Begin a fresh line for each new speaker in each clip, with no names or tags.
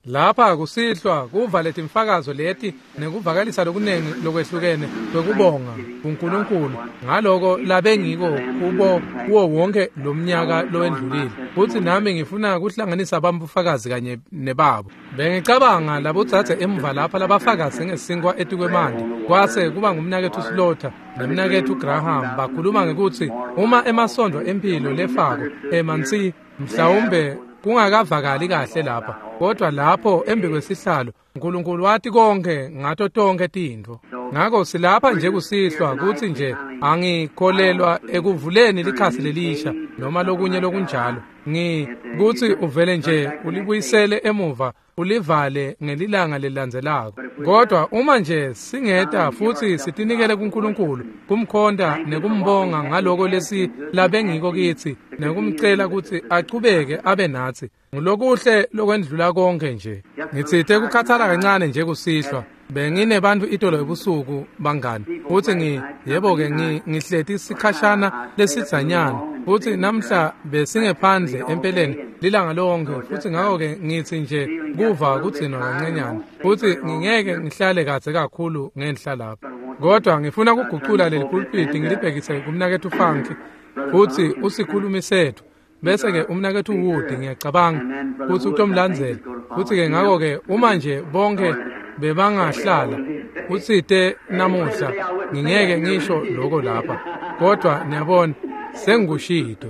Lapha kusihlwa kuva letimfakazo leti nekuvakalisa lokunengi lokwehlukene kwekubonga kuNkulunkulu ngaloko labengiko kubo kuwo wonke lomnyaka lowendlulile. Futsi nami ngifuna kuhlanganisa bamfakazi kanye nebabo. Bengicabanga labodzadze emuva lapha labafakaze ngesinkwa etikwemanti kwase kuba ngumnaketfu Slaughter nemnaketfu Graham bakhuluma ngekutsi uma emasondo emphilo lefako emansi mhlawumbe kungakavakali kahle lapha, kodwa lapho embi kwesihlalo uNkulunkulu wati konke ngato tonke tintfo. Ngako silapha nje kusihlwa kutsi nje angikholelwa ekuvuleni likhasi lelisha noma lokunye lokunjalo. Kutsi uvele nje ulibuyisele emuva ulivale ngelilanga lelilandzelako. Kodwa uma nje singeta futsi sitinikele kuNkulunkulu, kumkhonta nekumbonga ngaloko lesi labengiko kitsi nekumcela kutsi achubeke abe natsi, ngulokuhle lokwendlula konke nje. Ngitsite kukhathala kancane nje kusihlwa. Benginebantfu itolo ebusuku bangani, futsi yebo-ke ngihleti sikhashana lesidzanyana, futsi namhla besingephandle empeleni lilanga lonke, futsi ngako-ke ngitsi nje kuva kugcinwa kancanyana, futsi ngingeke ngihlale kadze kakhulu ngenhla lapha. Kodwa ngifuna kugucula leli pulpiti ngilibhekise kumnaketfu Funk, futsi usikhulumi setfu. Bese-ke umnaketfu Wood ngiyacabanga kutsi utomlandzela. Futsi-ke ngako-ke uma nje bonke bebangahlala utsite namuhla ngingeke ngisho lokho lapha, kodwa niyabona sengikushito.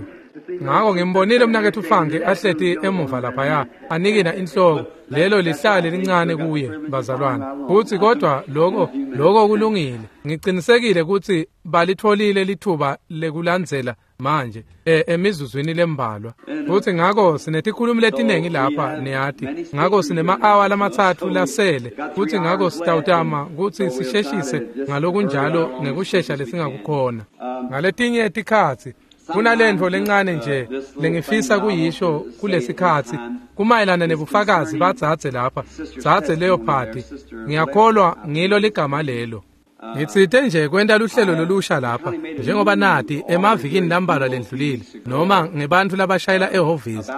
Ngako ngimbonile umnaketfu Funk ahleti emuva laphaya anikina inhloko, lelo lihlale lincane kuye bazalwane. Futsi kodwa lokho kulungile. Ngicinisekile kutsi balitfolile lithuba lekulandzela manje emizuzwini lembalwa. Futsi ngako sinetikhulumi letinengi lapha niyati. Ngako sinema-awa lamatsatfu lasele, futsi ngako sitawutama kutsi sisheshise ngalokunjalo ngekushesha lesingakukhona. Ngaletinye tikhatsi kunalentfo lencane nje lengifisa kuyisho kulesikhatsi kumayelana nebufakazi badzadze lapha, dzadze Leopard. Ngiyakholwa ngilo ligama lelo. Ngitsite nje kwenta luhlelo lolusha lapha njengoba nati emavikini lambalwa lendlulile noma ngebantfu labashayela ehhovisi.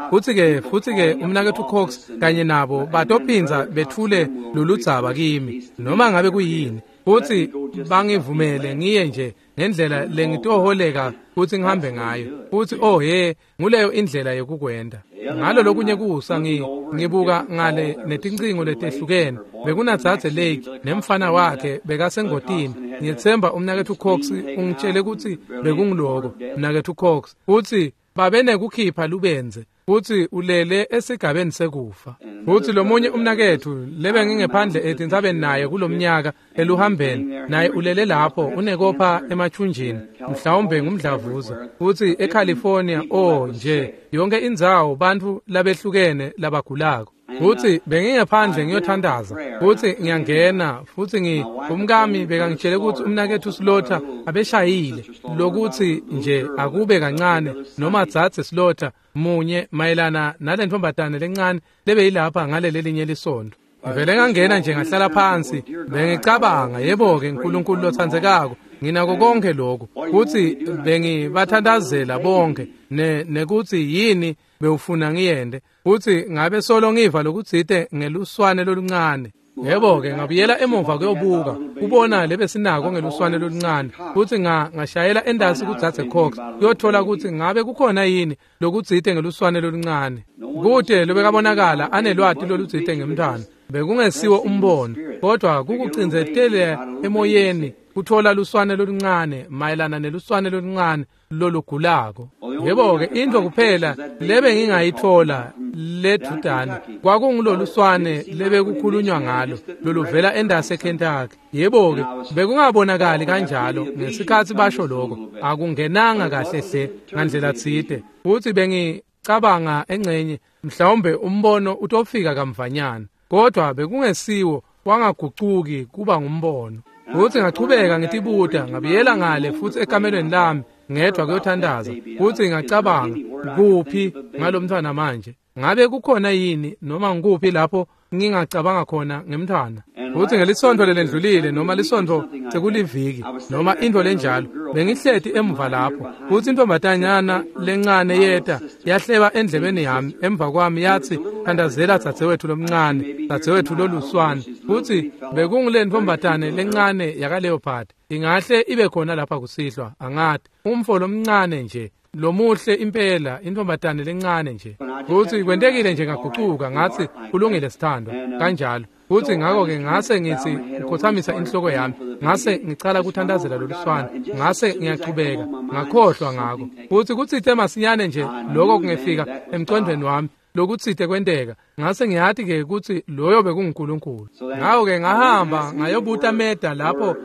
Futsi-ke umnaketfu Cox kanye nabo batophinza bethule loludzaba kimi noma ngabe kuyini, futsi bangivumele ngiye nje ngendlela lengitoholeka kutsi ngihambe ngayo. Futsi oh he, nguleyo indlela yekukwenta. Ngalo lokunye kusa ngibuka ngale netincingo letehlukene, bekunadzadze Lake nemfana wakhe bekasengotini. Ngiyetsemba umnaketfu Cox ungitshele kutsi bekungiloko mnaketfu Cox, futsi babenekukhipha lubenze, futsi ulele esigabeni sekufa. Futsi lomunye umnaketfu lebengingephandle etintsabeni naye kulomnyaka eluhambeni, naye ulele lapho unekopha emathunjini, mhlawumbe ngumdlavuza. Futsi eCalifornia, oh nje yonke indzawo bantfu labehlukene labagulako. Futsi bengingephandle ngiyothandaza, futsi ngiyangena, futsi umkami bekangitshele kutsi umnaketfu Slaughter abeshayile lokuthi nje akube kancane noma dzadze Slaughter munye mayelana nalentfombatane lencane lebeyilapha ngalelelinye lisondo. Ngivele ngangena nje ngahlala phansi, bengicabanga, yebo-ke uNkulunkulu lotsandzekako, nginako konke lokhu, futsi bengibathandazela bonke nekutsi yini bewufuna ngiyende, futsi ngabe solo ngiva lokutsite ngeluswane loluncane. Yebo-ke ngabuyela emuva kuyobuka kubona lebesinako ngeluswane loluncane, futsi ngashayela endasi kudzadze Cox kuyothola kutsi ngabe kukhona yini lokutsite ngeluswane loluncane. Kute lobekabonakala anelwati lolutsite ngemntwana, bekungesiwo umbono, kodwa kukucindzetela emoyeni kuthola luswane loluncane mayelana neluswane loluncane lolugulako. Yebo-ke intfo kuphela lebe ngingayitfola ledvudane kwakunguloluswane lebekukhulunywa ngalo loluvela endasi eKentucky. Yebo-ke bekungabonakali kanjalo ngesikhatsi basho lokho, akungenanga kahle hle ngandlela tsite. Futsi bengicabanga engcenye mhlawumbe umbono utofika kamvanyana, kodwa bekungesiwo wangagucuki kuba ngumbono. Futsi ngachubeka ngitibuta, ngabuyela ngale futsi ekamelweni lami ngedwa kuyothandaza, futsi ngacabanga, kuphi ngalomntwana manje? Ngabe kukhona yini noma ngikuphi lapho ngingacabanga khona ngemntwana? Futsi ngelisontfo lelendlulile noma lisontfo sekuliviki noma intfo lenjalo, bengihleti emuva lapho, futsi intfombatanyana lencane yeta yahleba endlebeni yami emva kwami yatsi, thandazela dzadzewetfu lomncane, dzadzewetfu loluswane. Futsi bekungule ntfombatane lencane yakaLeopard. Ingahle ibe khona lapha kusihlwa, angati. Umfo lomncane nje, lomuhle impela, intfombatane lencane nje. Futsi kwentekile nje ngagucuka ngatsi, kulungile sithandwa, kanjalo. Futsi ngako-ke ngase ngitsi ngikhothamisa inhloko yami, ngase ngicala kuthandazela loluswane, ngase ngiyachubeka, ngakhohlwa ngako. Futsi kutsite masinyane nje lokho kungefika emcondvweni wami, lokutsite kwenteka, ngase ngiyati-ke kutsi loyo bekunguNkulunkulu. Ngako-ke ngahamba ngayobuta Meda lapho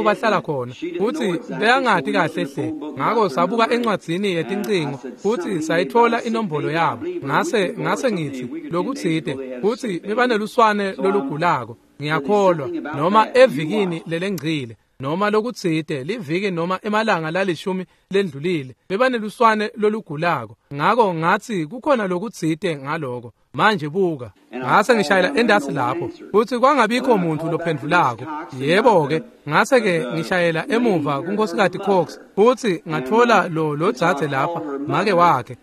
bahlala khona, futsi beyangati kahle hle. Ngako sabuka encwadzini yetincingo futsi sayitfola inombolo yabo. Ngase ngitsi lokutsite, futsi bebaneluswane lolugulako, ngiyakholwa, noma evikini lelengcile, noma lokutsite liviki noma emalanga lalishumi lendlulile, bebaneluswane lolugulako. Ngako ngatsi kukhona lokutsite ngaloko. Manje buka, ngase ngishayela endasi lapho, futsi kwangabikho muntu lophendvulako. Yebo-ke, ngase-ke ngishayela emuva kuNkosikazi Cox, futsi ngatfola lo dzadze lapha, make wakhe.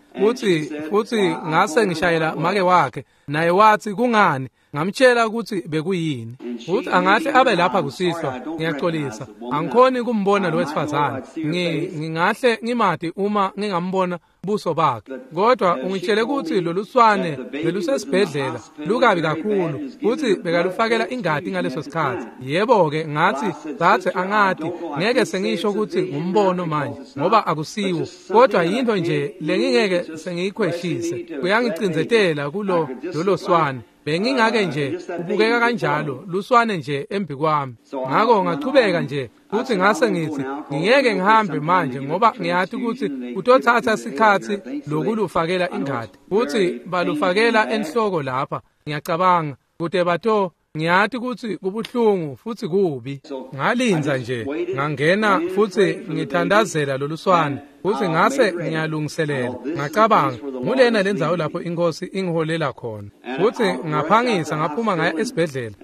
Futsi ngase ngishayela make wakhe, naye watsi kungani? Ngamtshela kutsi bekuyini. Futsi angahle abe lapha kusihlwa, ngiyaxolisa. Angikhoni kumbona lo wesifazane. Ngingahle ngimati uma ngingambona buso bakhe. Kodwa ungitshele kutsi loluswane belusesibhedlela lukabi kakhulu, futsi bekalufakela ingati ngaleso sikhatsi. Yebo-ke, ngatsi, dzadze, angati, ngeke sengisho kutsi ngumbono manje, ngoba akusiwo. Kodwa yintfo nje lengingeke sengiyikhweshise. Kuyangicindzetela kulo lolo swane. Bengingake nje ubukeka kanjalo luswane nje embikwami. Ngako ngachubeka nje, futsi ngase ngitsi ngingeke ngihambe manje ngoba ngiyati kutsi kutotsatsa sikhatsi lokulufakela ingati. Futsi balufakela enhloko lapha, ngiyacabanga, kute bato ngiyati kutsi kubuhlungu futsi kubi. Ngalinza nje, ngangena futsi ngithandazela loluswane, futsi ngase ngiyalungiselela. Ngacabanga, ngulena lendzawo lapho inkosi ingiholela khona. Futsi ngaphangisa ngaphuma ngaya esibhedlela,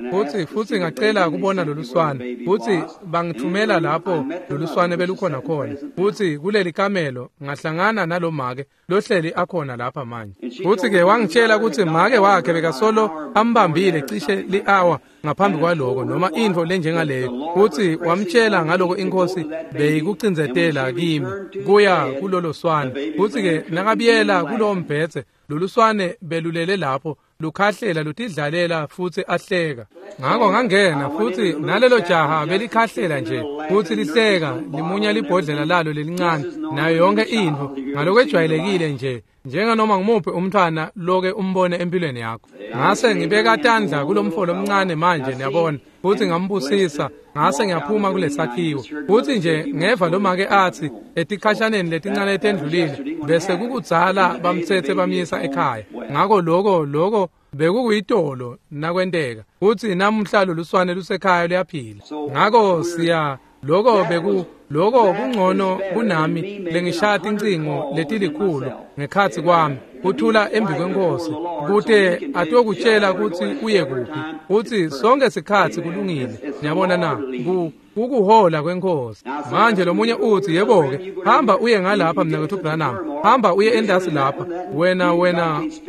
futsi ngacela kubona loluswane, futsi bangithumela lapho loluswane belukhona khona. Futsi kuleli kamelo ngahlangana nalomake lohleli akhona lapha manje. Futsi-ke wangitshela kutsi make wakhe bekasolo ambambile cishe li-awa ngaphambi kwaloko noma intfo lenjengaleyo. Futsi wamtshela ngaloko inkosi beyikucindzetela kimi kuya kulolo swane. Futsi-ke nakabuyela kulowo mbhedze, loluswane belulele lapho lukhahlela lutidlalela futsi ahleka. Ngako ngangena, futsi nalelo jaha belikhahlela nje futsi lihleka, limunya libhodlela lalo lelincane nayo yonke intfo ngalokwejwayelekile nje, njenganoma ngumuphi umntfwana loke umbone empilweni yakho. Ngase ngibeka tandla kulomfo lomncane manje, niyabona, futsi ngambusisa. Ngase ngiyaphuma kulesakhiwo, futsi nje ngeva lomake atsi etikhashaneni letincane letendlulile bese kukudzala bamtsetse bamyisa ekhaya. Ngako loko bekukuyitolo nakwenteka, futsi namuhla loluswane lusekhaya luyaphila. Ngako siya loko kungcono kunami lengishaya tincingo letilikhulu ngekhatsi kwami kuthula embi kwenkosi, kute atokutshela kutsi uye kuphi. Futsi sonke sikhatsi kulungile, niyabona na, kukuhola kwenkosi. Manje lomunye utsi, yebo-ke, hamba uye ngalapha mnaketfu Branham, hamba uye endasi lapha, wena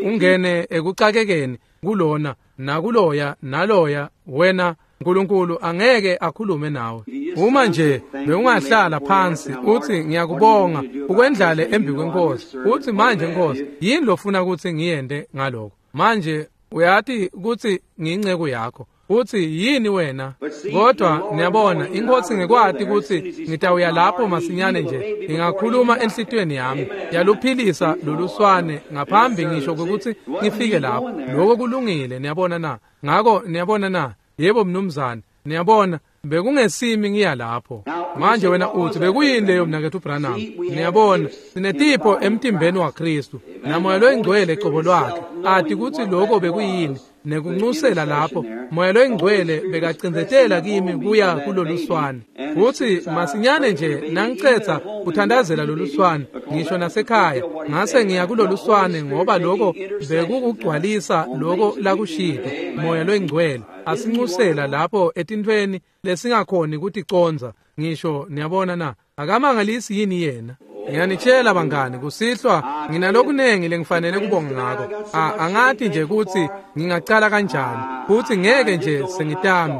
ungene ekucakekeni kulona nakuloya naloya, wena Nkulunkulu angeke akhulume nawe. Uma nje bewungahlala phansi utsi ngiyakubonga ukwendlale embi kwenkosi, utsi manje Nkosi, yini lofuna kutsi ngiyente ngaloko? Manje uyati kutsi ngiyinceku yakho. Utsi yini wena? Kodwa niyabona, inkosi ngekwati kutsi ngitawuya lapho masinyane nje, ngingakhuluma enhlitiyweni yami, yaluphilisa loluswane ngaphambi ngisho kwekutsi ngifike lapho. Lokho kulungile, niyabona na? Ngako niyabona na? Yebo mnumzane, niyabona, bekungesimi ngiya lapho. Manje wena utsi bekuyini leyo mnaketfu Branham? Niyabona, sinetipho emtimbeni waKhristu, naMoya loyiNgcwele cobo lwakhe ati kutsi lokho bekuyini, nekuncusela lapho Moya loyiNgcwele bekacindzetela kimi kuya kuloluswane. Futsi masinyane nje nangicetsa kuthandazela loluswane, ngisho nasekhaya. Ngase ngiya kuloluswane ngoba lokho bekukugcwalisa lokho lakushito Moya loyingcwele asinxusela lapho etintfweni lesingakhoni kuticonza ngisho. Niyabona na? Akamangalisi yini yena? Ngiyanitshela bangani, kusihlwa nginalokunengi lengifanele kubonga ngako. Angati nje ukuthi ngingacala kanjani, futhi ngeke nje sengitami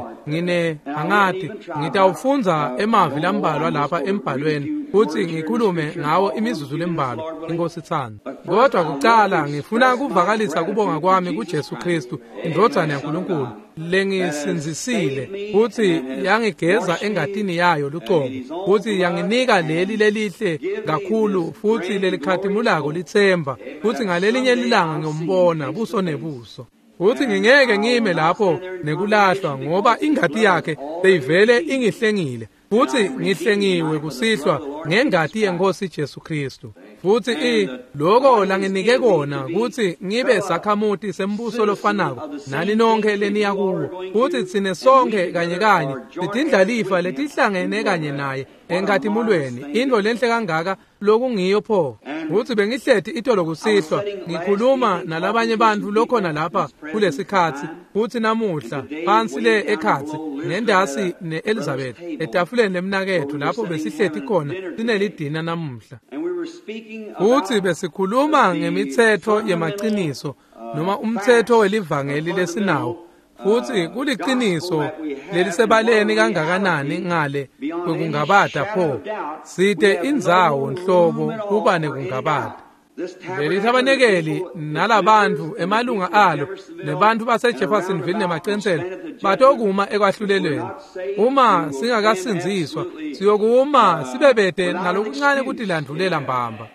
angati ngitawufundza emavi lambalwa lapha embhalweni futhi ngikhulume ngawo imizuzu lembalwa, inkosi ithanda. Kodwa kucala ngifuna kuvakalisa kubonga kwami kuJesu Kristu, indvodzana yaNkulunkulu, lengisindzisile futhi yangigeza engatini yayo lucobo, futhi yanginika leli lelihle kakhulu futhi lelikhatimulako litsemba, futhi ngalelinye lilanga ngiyombona buso nebuso. Futhi ngingeke ngime lapho nekulahlwa ngoba ingati yakhe beyivele ingihlengile, futhi ngihlengiwe kusihlwa ngengati yenkosi Jesu Kristu. Futhi lokho langinike kona ukuthi ngibe sakhamuti sembuso lofanako nani nonke leniya kuwo, futhi tsine sonke kanye kanye sitindlalifa letihlangene kanye naye enkatimulweni, into lenhle kangaka lokungiyo pho. Futhi bengihleti itolo kusihlwa ngikhuluma nalabanye bantu lokhona lapha kulesikhatsi, futhi namuhla phansi le ekhatsi nendasi ne-Elizabeth etafuleni lemnakethu lapho besihleti khona sinelidina namuhla. Futhi besikhuluma ngemithetho yemaqiniso noma umthetho welivangeli lesinawo, futhi kuliqiniso lelisebaleni kangakanani ngale kwekungabata pho site indzawo nhlobo kuba nekungabata. Leli thabanekeli nalabantu emalunga alo nebantu baseJeffersonville nemaCensela batokuma ekwahlulelweni. Uma singakasindziswa siyokuma sibebede nalokuncane kutilandvulela mbamba.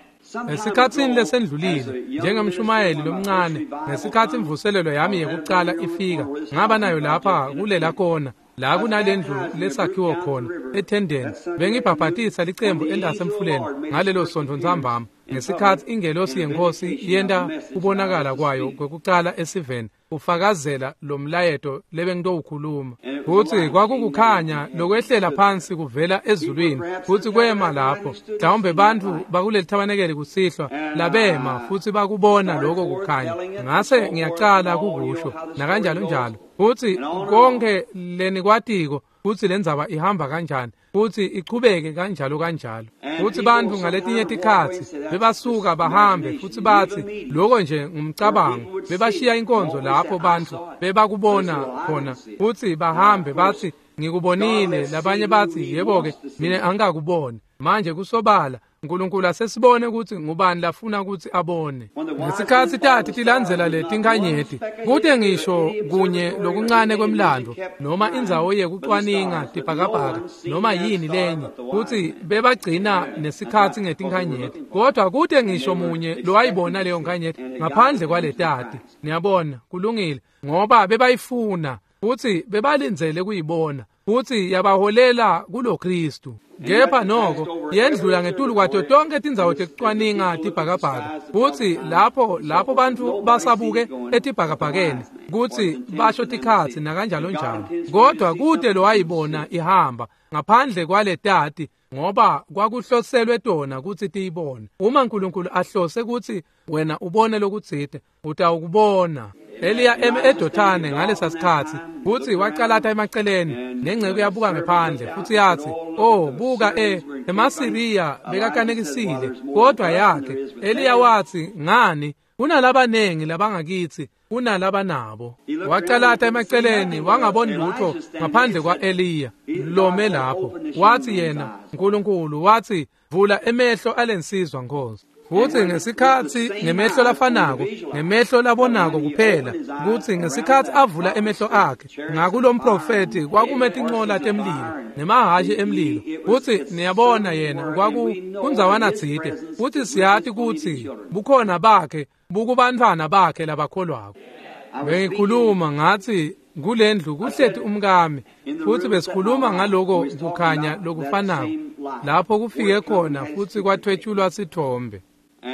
Ngesikhatsini lesendlulile njengemshumayeli lomncane, ngesikhathi imvuselelo yami yekucala ifika, ngaba nayo lapha kulela kona la kunalendlu lesakhiwo khona ethendeni. Bengibhabhatisa licembu endasemfuleni ngalelo sonto ntsambama, ngesikhathi ingelosi yenkosi yenta kubonakala kwayo kwekucala esiveni ufakazela lo mlayeto lebengitowukhuluma. Futhi kwakukukhanya lokwehlela phansi kuvela ezulwini, futhi kwema lapho. Mhlawumbe bantfu bakuleli thabanekeli kusihlwa labema futhi bakubona lokho kukhanya. Ngase ngiyacala kukusho nakanjalo njalo, futhi konke lenikwatiko futhi lendzaba ihamba kanjani futhi ichubeke kanjalo kanjalo. Futhi bantu ngaletinye tikhatsi bebasuka bahambe futhi bathi lokho nje ngumcabango, bebashiya inkonzo lapho bantu bebakubona khona futhi bahambe bathi ngikubonile, labanye bathi yebo-ke mina angikakuboni. Manje kusobala uNkulunkulu asesibone ukuthi ngubani lafuna ukuthi abone. Ngesikhathi tati tilandzela letinkanyeti, kute ngisho kunye lokuncane kwemlando noma indzawo yekucwaninga tibhakabhaka noma yini lenye, kuthi bebagcina nesikhathi ngetinkanyeti, kodwa kute ngisho munye lowayibona leyo nkanyeti ngaphandle kwaletati. Niyabona, kulungile, ngoba bebayifuna futhi bebalindzele kuyibona, futhi yabaholela kulo Kristu. Kepha noko yendlula ngetulu kwato tonke tindzawo tekucwaninga tibhakabhaka, futhi lapho bantu basabuke etibhakabhakeni kutsi basho tikhatsi nakanjalo njalo, kodwa kute lowayibona ihamba ngaphandle kwaletati, ngoba kwakuhloselwe tona kutsi tiyibone. Uma uNkulunkulu ahlose kutsi wena ubone lokutsite, utawukubona. Eliya eme eDothane ngalesa sikhatsi, futhi wacalata emaceleni, nengceku yabuka ngephandle futhi yathi, "Oh, buka emaSiriya bekakanekisile, kodwa yakhe." Eliya wathi, "Ngani? Kunalabanengi labangakithi kunalabanabo." Wacalata emaceleni wangaboni lutho ngaphandle kwa-Eliya lome lapho. Wathi yena, uNkulunkulu wathi, "Vula emehlo alensizwa Nkosi." Futhi ngesikhathi ngemehlo lafanako, ngemehlo labonako kuphela, kuthi ngesikhathi avula emehlo akhe ngakulomprofeti kwakume tincola temlilo nemahhashi emlilo. Futhi niyabona yena kwaku kundzawana tsite, futhi siyati kutsi bukhona bakhe bukubantfwana bakhe labakholwako. Bengikhuluma ngathi kulendlu kuhleti umkami, futhi besikhuluma ngaloko kukhanya lokufanako lapho kufike khona futhi kwathwetshulwa sithombe.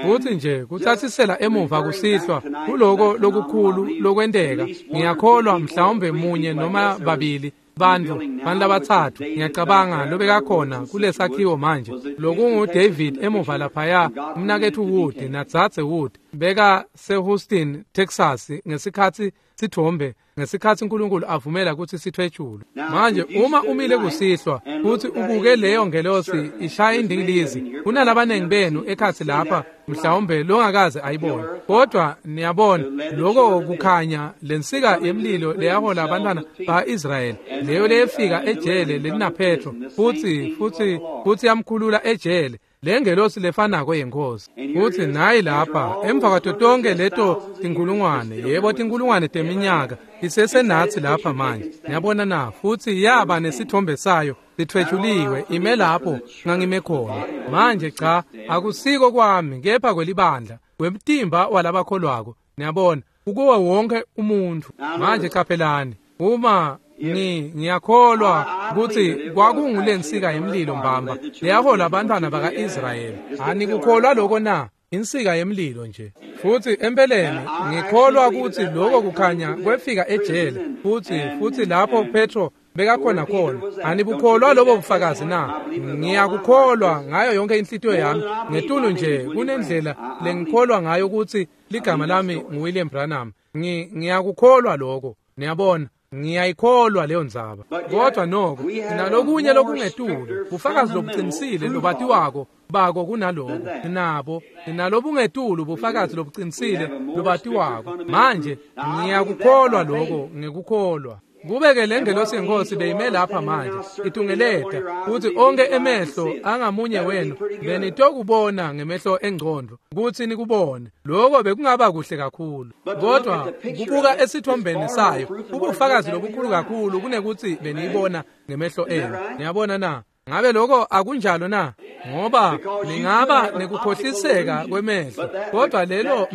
Futhi nje kuthathisela emuva kusihlwa kuloko lokukhulu lokwenteka, ngiyakholwa mhlawumbe munye noma babili bantfu labatsatfu ngiyacabanga lobekakhona kulesakhiwo manje lokungu David emuva laphaya, umnaketfu Wood nadzadze Wood beka seHouston, Texas ngesikhatsi sithombe ngesikhatsi uNkulunkulu avumela kutsi sithwetshulwe. Manje uma umile kusihlwa futhi ubuke leyo ngelosi ishaya indingilizi, kunalabanengi benu ekhatsi lapha mhlawumbe longakaze ayibone, kodwa niyabona lokho kukhanya lensika yemlilo leyahola abantwana ba-Israyeli, leyo leyefika ejele lelinaPetro futhi yamkhulula ejele, lengelosi lefanako yenkosi. Futhi nayi lapha emva kwato tonke leto tinkulungwane, yebo tinkulungwane teminyaka, isesenatsi lapha manje. Niyabona na? Futhi yaba nesithombe sayo sithwetshuliwe ime lapho ngangime khona. Manje cha, akusiko kwami kepha kwelibandla, kwemtimba walabakholwako. Niyabona, kukuwo wonke umuntu. Manje qaphelani, uma ngiyakholwa kutsi kwakungulensika yemlilo mbamba leyahola abantwana baka-Israyeli. Anikukholwa lokho na? Insika yemlilo nje. Futhi empeleni ngikholwa kutsi lokho kukhanya kwefika ejele futhi lapho Petro bekakhona khona. Anibukholwa lobo bufakazi na? Ngiyakukholwa ngayo yonke inhlitiyo yami. Ngetulu nje kunendlela lengikholwa ngayo kutsi ligama lami nguWilliam Branham. Ngiyakukholwa lokho. Niyabona, ngiyayikholwa leyo ndzaba. Kodwa noko sinalokunye lokungetulu, bufakazi lobuqinisile lobatiwako bako kunaloko. Nabo sinalobungetulu bufakazi lobuqinisile lobatiwako. Manje ngiyakukholwa lokho, ngikukholwa. Kube-ke lengelosi yenkosi beyime lapha manje itungeleta kutsi onke emehlo angamunye wenu benitokubona ngemehlo engqondo kutsi nikubone. Lokho bekungaba kuhle kakhulu, kodwa kubuka esithombeni sayo ubufakazi lobukhulu kakhulu kunekuthi beniyibona ngemehlo enu. Niyabona na? Ngabe lokho akunjalo na? Ngoba ningaba nekukhohliseka kwemehlo, kodwa lelo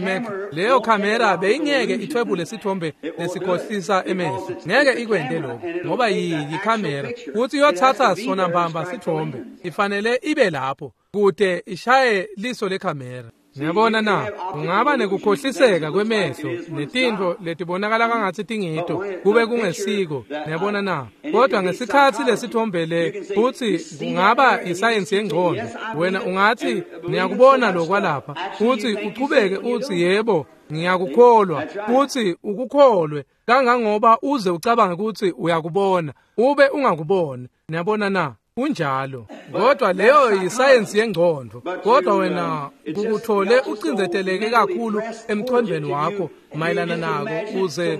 leyo kamera beyingeke ithwebule sithombe lesikhohlisa emehlo. Ngeke ikwente lokho ngoba yikamera kuthi iyothatha sona mbamba sithombe, ifanele ibe lapho kude ishaye liso lekamera. Ngiyabona na? Ungaba nekukhohliseka kwemehlo netintfo letibonakala kangatsi tingito kube kungesiko. Ngiyabona na? Kodwa ngesikhatsi lesithombe le futhi kungaba isayensi yengqondo, wena ungathi ngiyakubona lokwalapha futhi uchubeke uthi yebo ngiyakukholwa, futhi ukukholwe kangangoba uze ucabange ukuthi uyakubona ube ungakuboni. Ngiyabona na? Kunjalo. Kodwa leyo yisayensi yengqondo. Kodwa wena kukuthole ucindezeleke kakhulu emqondweni wakho mayelana nako uze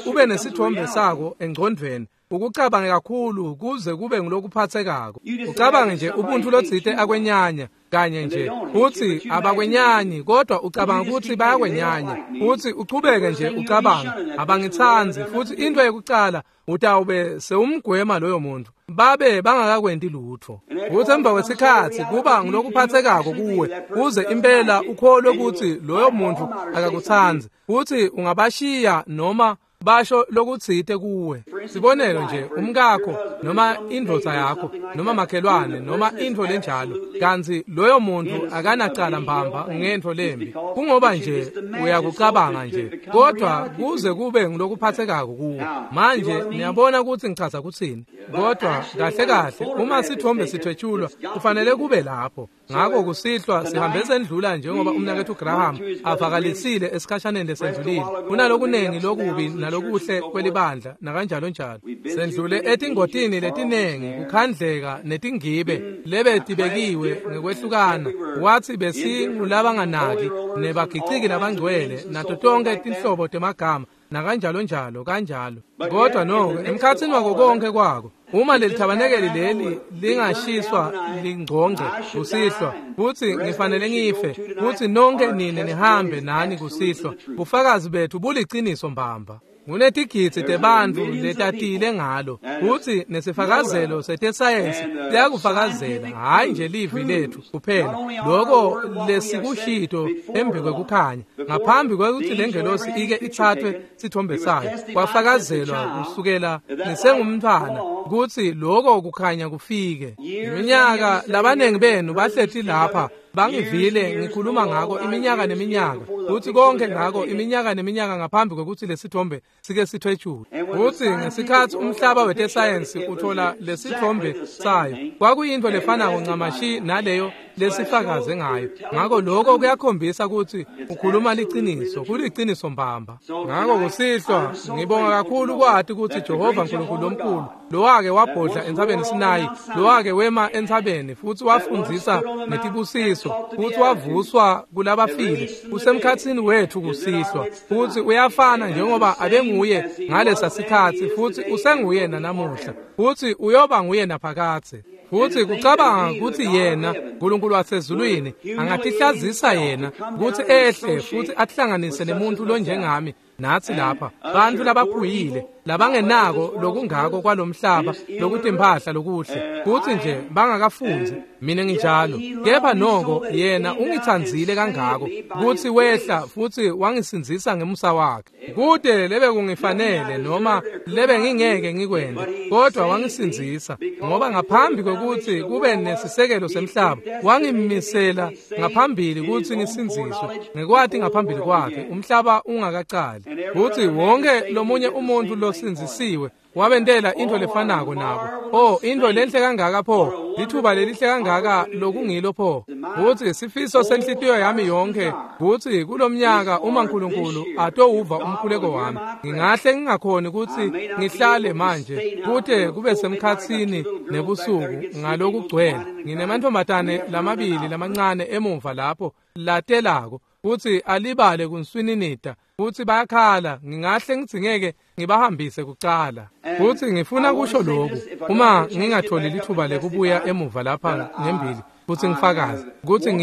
ube nesithombe sako engqondweni, ukucabange kakhulu kuze kube ngilokuphathekako. Ucabange nje ubuntu lotsite akwenyanya kanye nje uthi abakwenyanyi, kodwa ucabanga ukuthi bayakwenyanya, uthi uchubeke nje ucabanga abangitsandzi, futhi into yekucala utawube sewumgwema loyo muntu babe bangakakwenti lutho. Futhi emva kwesikhatsi kuba ngilokuphathekako kuwe kuze impela ukholwe ukuthi loyo muntu akakutsandzi, futhi ungabashiya noma basho lokutsite kuwe. Sibonelo nje, umkakho noma indvodza yakho noma makhelwane noma intfo lenjalo, kantsi loyo muntu akanacala mbamba ngentfo lembi, kungoba nje uyakucabanga nje, kodwa kuze kube ngilokuphathekako kuwe. Manje niyabona kutsi ngichaza kutsini? Kodwa kahle kahle uma sithombe sithwetshulwa kufanele kube lapho. Ngakho kusihlwa sihambe sendlula njengoba umnaketfu Graham avakalisile esikhashaneni lesendlulile, kunalokunengi lokubi nalokuhle kwelibandla nakanjalo njalo. Sendlule etingotini letinengi, kukhandleka netingibe lebetibekiwe ngekwehlukana. Wathi besingulabanganaki nebagiciki labangcwele nato tonke tinhlobo temagama nakanjalo njalo kanjalo. Kodwa noko emkhatsini wako konke kwako, uma lelithabanekeli leli lingashiswa lingcongce kusihlwa, futhi ngifanele ngife, futhi nonke nine nihambe nani kusihlwa, bufakazi bethu buliciniso mbamba. Kunetigidzi tebantfu letatile ngalo, futhi nesifakazelo setesayensi siyakufakazela, hhayi nje livi lethu kuphela, loko lesikushito embi kwekukhanya ngaphambi kwekutsi lengelosi ike ithathwe sithombe sayo, kwafakazelwa kusukela ngisengumntfwana kutsi loko kukhanya kufike. Iminyaka labanengi benu bahleti lapha Bangivile ngikhuluma ngako iminyaka neminyaka, kutsi konke ngako iminyaka neminyaka ngaphambi kwekutsi lesithombe sike sithwetshulwe. Kutsi ngesikhatsi umhlaba wetesayensi uthola lesithombe sayo, kwakuyintfo lefanako ncamashi naleyo lesifakaze ngayo. Ngako lokho kuyakhombisa kutsi ukhuluma liciniso, kuliciniso mbamba. Ngako kusihlwa ngibonga kakhulu kwati kutsi Jehova Nkulunkulu lomkhulu, lowake wabhodla entsabeni Sinayi, lowake wema entsabeni futsi wafundzisa netibusiso, futsi wavuswa kulabafile, usemkhatsini wetfu kusihlwa, futsi uyafana njengoba abenguye ngalesa sikhatsi, futsi usenguye nanamuhla, futsi uyoba nguye naphakadze. Futsi kucabanga kutsi yena Nkulunkulu wasezulwini angatihlazisa yena kutsi ehle futsi atihlanganise nemuntu lonjengami natsi lapha, bantfu labaphuyile labangenako lokungako kwalomhlaba lokutimphahla lokuhle, kutsi nje bangakafundzi, mina nginjalo. Kepha noko yena ungitsandzile kangako kutsi wehla futsi wangisindzisa ngemusa wakhe. Kude lebe kungifanele noma lebe ngingeke ngikwente, kodwa wangisindzisa, ngoba ngaphambi kwekutsi kube nesisekelo semhlaba wangimisela ngaphambili kutsi ngisindziswe ngekwati ngaphambili kwakhe umhlaba ungakacali. Kutsi wonke lomunye umuntfu losindzisiwe wabentela intfo lefanako nabo. Oh, intfo lenhle kangaka pho, lithuba lelihle kangaka lokungilo pho. Kutsi sifiso senhlitiyo yami yonke kutsi kulomnyaka uma Nkulunkulu atowuva umkhuleko wami, ngingahle ngingakhoni kutsi ngihlale manje kute kube semkhatsini nebusuku ngalokugcwele. Nginemantfombatane lamabili lamancane emuva lapho latelako kutsi alibale kunswininita, futsi bayakhala, ngingahle ngidzingeke ngibahambise kucala. Futsi ngifuna kusho lokhu, uma ngingatholi lithuba lekubuya emuva lapha ngembili futsi ngifakaze kutsi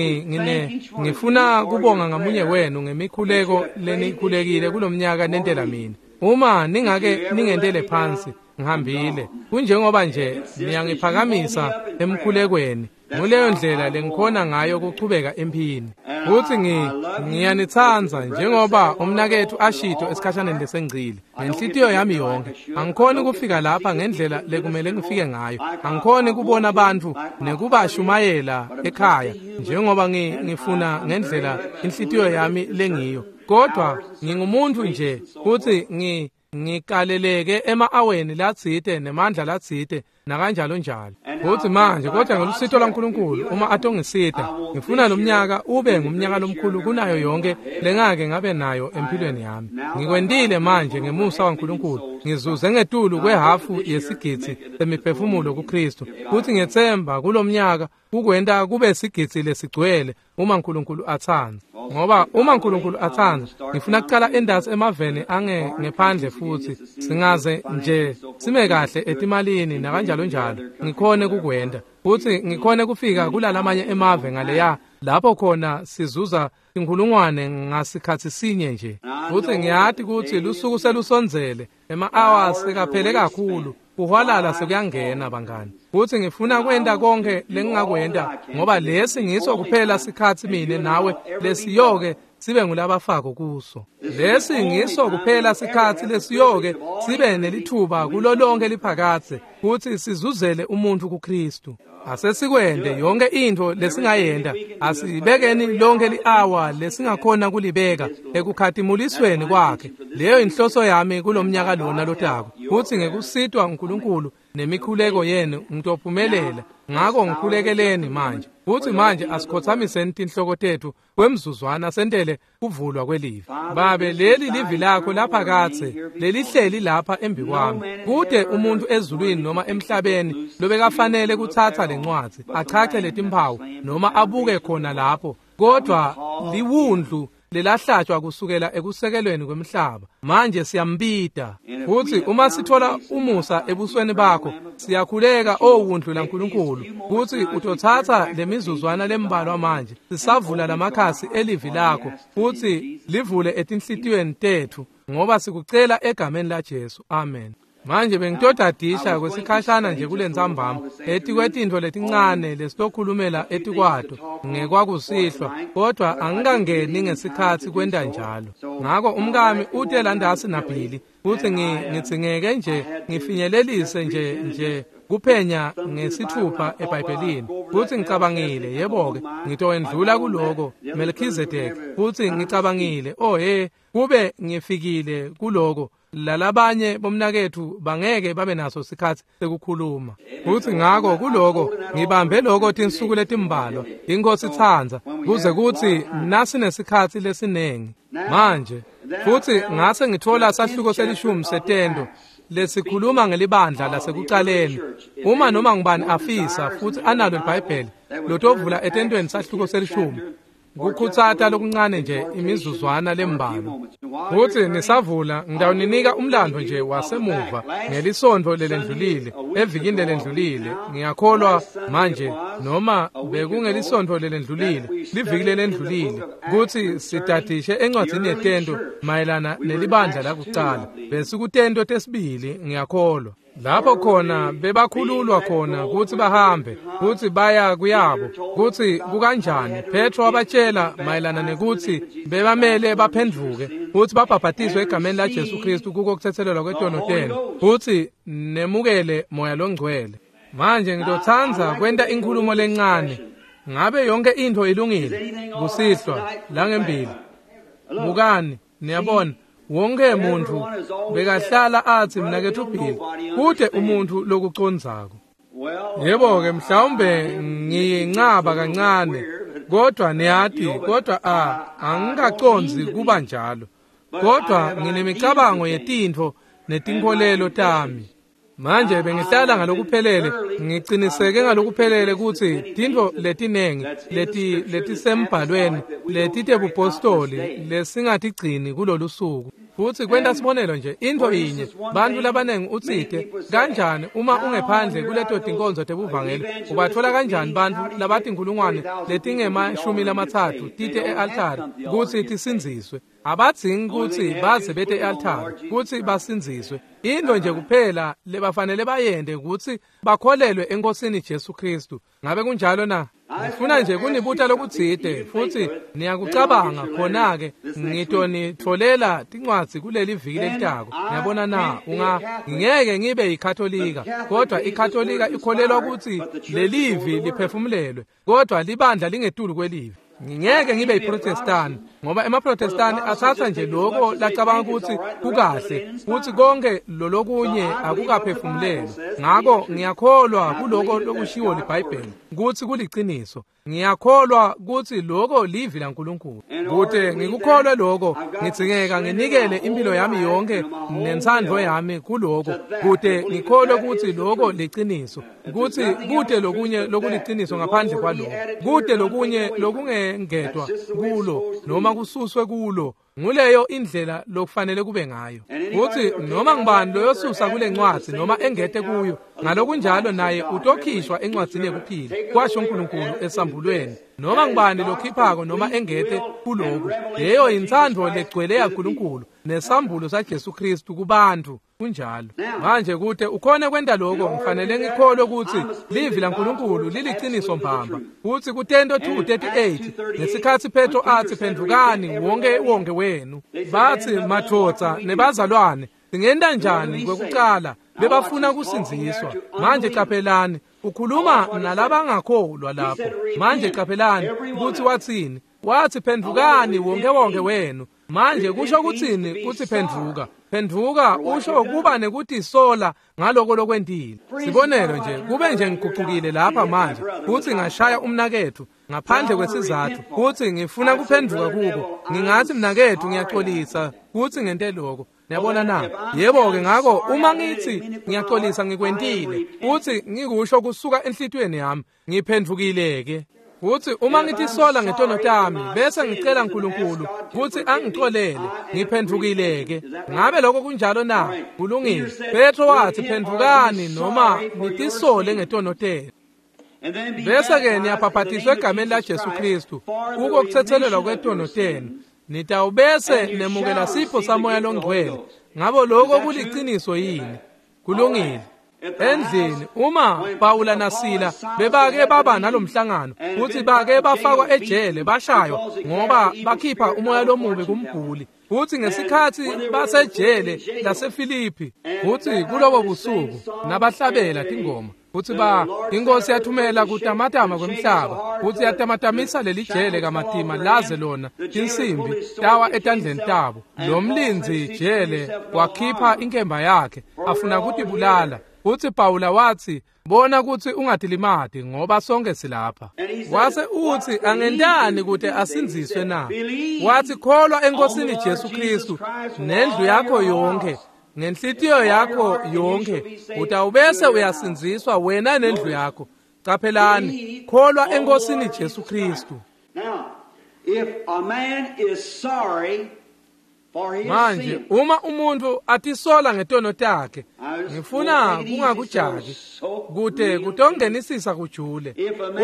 ngifuna kubonga ngamunye wenu ngemikhuleko lenikhulekile kulomnyaka nentela mina. Uma ningake ningentele phansi ngihambile, kunjengoba nje niyangiphakamisa emkhulekweni. Nguleyo ndlela lengikhona ngayo kuchubeka emphini. Futsi ngiyanitsandza njengoba umnaketfu ashito esikhashaneni lesengcile ngenhlitiyo yami yonke. Angikhoni kufika lapha ngendlela lekumele ngifike ngayo. Angikhoni kubona bantfu nekubashumayela ekhaya njengoba ngifuna ngendlela inhlitiyo yami lengiyo. Kodwa ngingumuntfu nje futsi ngikaleleke ema-aweni latsite nemandla latsite nakanjalo njalo. Futsi manje kodwa ngelusito lwaNkulunkulu uma atongisita, ngifuna lomnyaka ube ngumnyaka lomkhulu kunayo yonke lengake ngabe nayo empilweni yami. Ngikwentile manje ngemusa waNkulunkulu, ngizuze ngetulu kwehafu yesigidzi semiphefumulo kuKristu, futsi ngiyetsemba kulomnyaka kukwenta kube sigidzi lesigcwele uma Nkulunkulu atsandza. Ngoba uma Nkulunkulu atsandza, ngifuna kucala endasi emaveni ange ngephandle futhi singaze nje sime kahle etimalini nakanjalo njalo, ngikhone kukwenta futhi ngikhone kufika kulalamanye emave ngaleya lapho khona sizuza tinkhulungwane ngasikhatsi sinye nje. Futhi ngiyati kutsi lusuku selusondzele, ema-hours sekaphele kakhulu, kuhwalala sekuyangena bangani. Futhi ngifuna kwenta konke lengingakwenta, ngoba lesi ngiso kuphela sikhatsi mine nawe lesiyoke sibe ngulabafako kuso. Lesi ngiso kuphela sikhatsi lesiyoke sibe nelithuba kulo lonke liphakadze kutsi sizuzele umuntfu kuKristu. Asesikwente yonke intfo lesingayenta, asibekeni lonke li-awa lesingakhona kulibeka ekukhatimulisweni kwakhe. Leyo inhloso yami kulomnyaka lona lotako, kutsi ngekusitwa uNkulunkulu nemikhuleko yenu ngitophumelela. Ngako ngikhulekeleni manje. Futsi manje asikhotsamiseni tinhloko tetfu kwemzuzwana sentele kuvulwa kwelivi. Babe, leli livi lakho laphakadze lelihleli lapha embikwami. Kude umuntfu ezulwini noma emhlabeni lobekafanele kutsatsa lencwadzi, achache letimphawu noma abuke khona lapho, kodwa liwundlu lelahlatshwa kusukela ekusekelweni kwemhlaba. Manje siyambita. Futsi uma sithola umusa ebusweni bakho, siyakhuleka owundlu laNkulunkulu kutsi utotsatsa lemizuzwana lembalwa manje sisavula lamakhasi elivi lakho futsi livule etinhlitiyweni tetfu, ngoba sikucela egameni laJesu. Amen. Manje bengitodadisha kwesikhashana nje kulentsambama etikwetintfo letincane lesitokhulumela etikwato ngekwakusihlwa, kodwa angikangeni ngesikhatsi kwenta njalo. Ngako umkami ute landasi naBhili futsi ngidzingeke nje ngifinyelelise nje kuphenya ngesithupha eBhayibhelini, futsi ngicabangile, yebo-ke, ngitowendlula kuloko Melchizedek, futsi ngicabangile, oh he, kube ngifikile kuloko, lalabanye bomnaketfu bangeke babe naso sikhatsi sekukhuluma. Futsi ngako kuloko ngibambe loko tinsuku letimbalwa, iNkhosi itsandza, kuze kutsi nasinesikhatsi lesinengi. Manje futsi ngase ngitfola sahluko selishumi setento lesikhuluma ngelibandla lasekucaleni. Uma noma ngubani afisa futsi analo iBhayibheli, lotovula etentweni sahluko selishumi, kukhutsata lokuncane nje imizuzwana lembalwa. Futsi nisavula ngitawuninika umlando nje wasemuva ngelisontfo lelendlulile, evikini lelendlulile, ngiyakholwa manje noma bekungelisontfo lelendlulile, liviki lelendlulile, kutsi sidadishe encwadzini yetento mayelana nelibandla lakucala. Besikutento tesibili, ngiyakholwa. Lapho khona bebakhululwa khona kutsi bahambe, kutsi baya kuyabo, kutsi kukanjani. Petro wabatshela mayelana nekutsi bebamele baphendvuke futsi babhabhatiswe egameni la Jesu Kristu kuko kuthethelelwa kwetono tenu, futsi nemukele Moya loNgcwele. Manje ngitotsandza kwenta inkhulumo lencane. Ngabe yonke intfo ilungile kusihlwa langembili? Bukani, niyabona, wonke muntfu bekahlala atsi mnaketfu Bill, kute umuntfu lokucondzako. Yebo-ke, mhlawumbe ngiyincaba kancane, kodwa niyati, kodwa angikacondzi kuba njalo. Kodwa nginemicabango yetintfo netinkholelo tami. Manje bengihlala ngalokuphelele, ngiciniseke ngalokuphelele kutsi tintfo letinengi letisembhalweni letitebupostoli lesingatigcini kulolu suku. Futsi kwenta sibonelo nje, intfo inye, bantfu labanengi utsite, kanjani uma ungephandle kuleto tinkonzo tebuvangeli, ubatfola kanjani bantfu labatinkhulungwane letingema-30 tite e-altari kutsi tisindziswe? Abadzingi kutsi baze bete e-altari kutsi basindziswe. Intfo nje kuphela lebafanele bayente kutsi bakholelwe eNkosini Jesu Kristu. Ngabe kunjalo na? Ngifuna nje kunibuta lokutsite futsi niyakucabanga khona-ke ngitonitfolela tincwadzi kuleli viki lelitako. Ngiyabona na, ngingeke ngibe yiKatolika, kodwa iKatolika ikholelwa kutsi lelivi liphefumulelwe, kodwa libandla lingetulu kwelivi. Ngingeke ngibe yiProtestani, ngoba emaProtestani atsatsa nje loko lacabanga kutsi kukahle, futsi konke lolokunye akukaphefumulelwa. Ngako ngiyakholwa kuloko lokushiwo liBhayibheli kutsi kuliciniso. Ngiyakholwa kutsi loko livi laNkulunkulu. Kute ngikukholwe loko, ngidzingeka nginikele impilo yami yonke nentsandvo yami kuloko, kute ngikholwe kutsi loko liciniso, kutsi kute lokunye lokuliciniso ngaphandle kwaloko, kute lokunye lokungengetwa kulo noma kususwe kulo. Nguleyo indlela lokufanele kube ngayo. Kutsi noma ngubani loyosusa kule ncwadzi noma engete kuyo, ngalokunjalo naye utokhishwa encwadzini yekuphila, kwasho uNkulunkulu esambulweni. Noma ngubani lokhiphako noma engete kuloku, leyo intsandvo legcwele yaNkulunkulu nesambulo saJesu Kristu kubantfu. Kunjalo. Manje kute ukhone kwenta lokho, ngifanele ngikholwe kutsi livi laNkulunkulu liliciniso mbamba. Kutsi kutento 2:38 ngesikhatsi Petro atsi phendvukani wonke wonke wenu, batsi madvodza nebazalwane, singenta njani kwekucala? Bebafuna kusindziswa. Manje caphelani, ukhuluma nalabangakholwa lapho. Manje caphelani kutsi watsini. Watsi phendvukani wonke wonke wenu. Manje kusho kutsini kutsi phendvuka? Phendvuka usho kuba nekutisola ngaloko lokwentile. Sibonelo nje, kube nje ngigucukile lapha manje kutsi ngashaya umnaketfu ngaphandle kwesizatfu kutsi ngifuna kuphendvuka kuko, ngingatsi mnaketfu ngiyaxolisa kutsi ngente lokho. Niyabona na? Yebo-ke, ngako uma ngitsi ngiyaxolisa ngikwentile kutsi ngikusho kusuka enhlitiyweni yami, ngiphendvukile-ke. Kutsi uma ngitisola ngetono tami bese ngicela uNkulunkulu kutsi angixolele, ngiphendvukile-ke. Ngabe lokho kunjalo na? Kulungile. Petro watsi phendvukani noma nitisole ngetono tenu, bese-ke niyabhabhatiswa egameni la Jesu Kristu kuko kuthethelelwa kwetono tenu, nitawubese nemukela sipho saMoya loNgcwele. Ngabo lokho kuliciniso yini? Kulungile. Endlini uma Pawula naSila bebake baba nalomhlangano futhi bake bafakwa ejele bashaywa ngoba bakhipha umoya lomubi kumguli, futhi ngesikhathi basejele laseFilipi, futhi kulobo busuku nabahlabela tingoma, futhi inkosi yathumela kutamatama kwemhlaba, futhi yatamatamisa leli jele kamatima laze lona tinsimbi tawa etandleni tabo. Lo mlindzi jele wakhipha inkemba yakhe afuna kutibulala, futhi Pawula wathi, bona ukuthi ungatilimati ngoba sonke silapha. Wase uthi, angentani ukuthi asindziswe na? Wathi, kholwa eNkosini Jesu Kristu nendlu yakho yonke, ngenhlitiyo yakho yonke, utawubese uyasindziswa wena nendlu yakho. Qaphelani, kholwa eNkosini Jesu Kristu. Manje uma umuntu atisola ngetono takhe, ngifuna kungakujaki kude kutongenisisa kujule.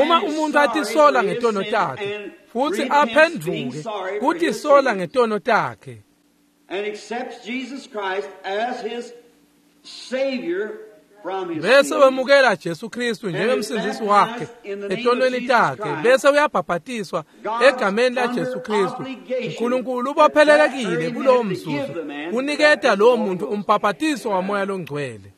Uma umuntu atisola ngetono takhe futhi aphenduke kutisola ngetono takhe
and accepts Jesus Christ as his savior from his
bese wemukela Jesu Kristu njengemsindzisi wakhe etonweni takhe, bese uyabhabhatiswa egameni la Jesu Kristu, uNkulunkulu ubophelelekile kulowo mzuzu uniketa lowo muntu umbhabhatiso wamoya longcwele.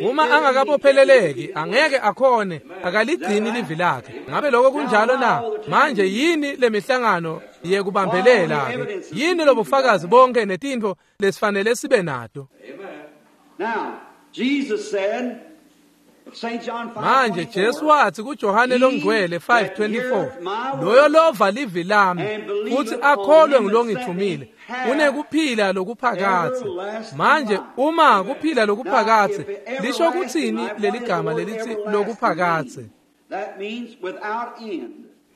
Uma angakabopheleleki angeke akhone, akaligcini livi lakhe. Ngabe lokho kunjalo na? Manje yini lemihlangano yekubambelela ke? Yini lobufakazi bonke netintfo lesifanele sibe nato?
Now, Jesus said, St. John 5,
manje Jesu wathi kuJohane longcwele 5:24, loyo lova livi lami futhi akholwe ngilongithumile unekuphila lokuphakathe. Manje uma kuphila lokuphakathe lisho kuthini leligama lelithi lokuphakathe?
That means without end.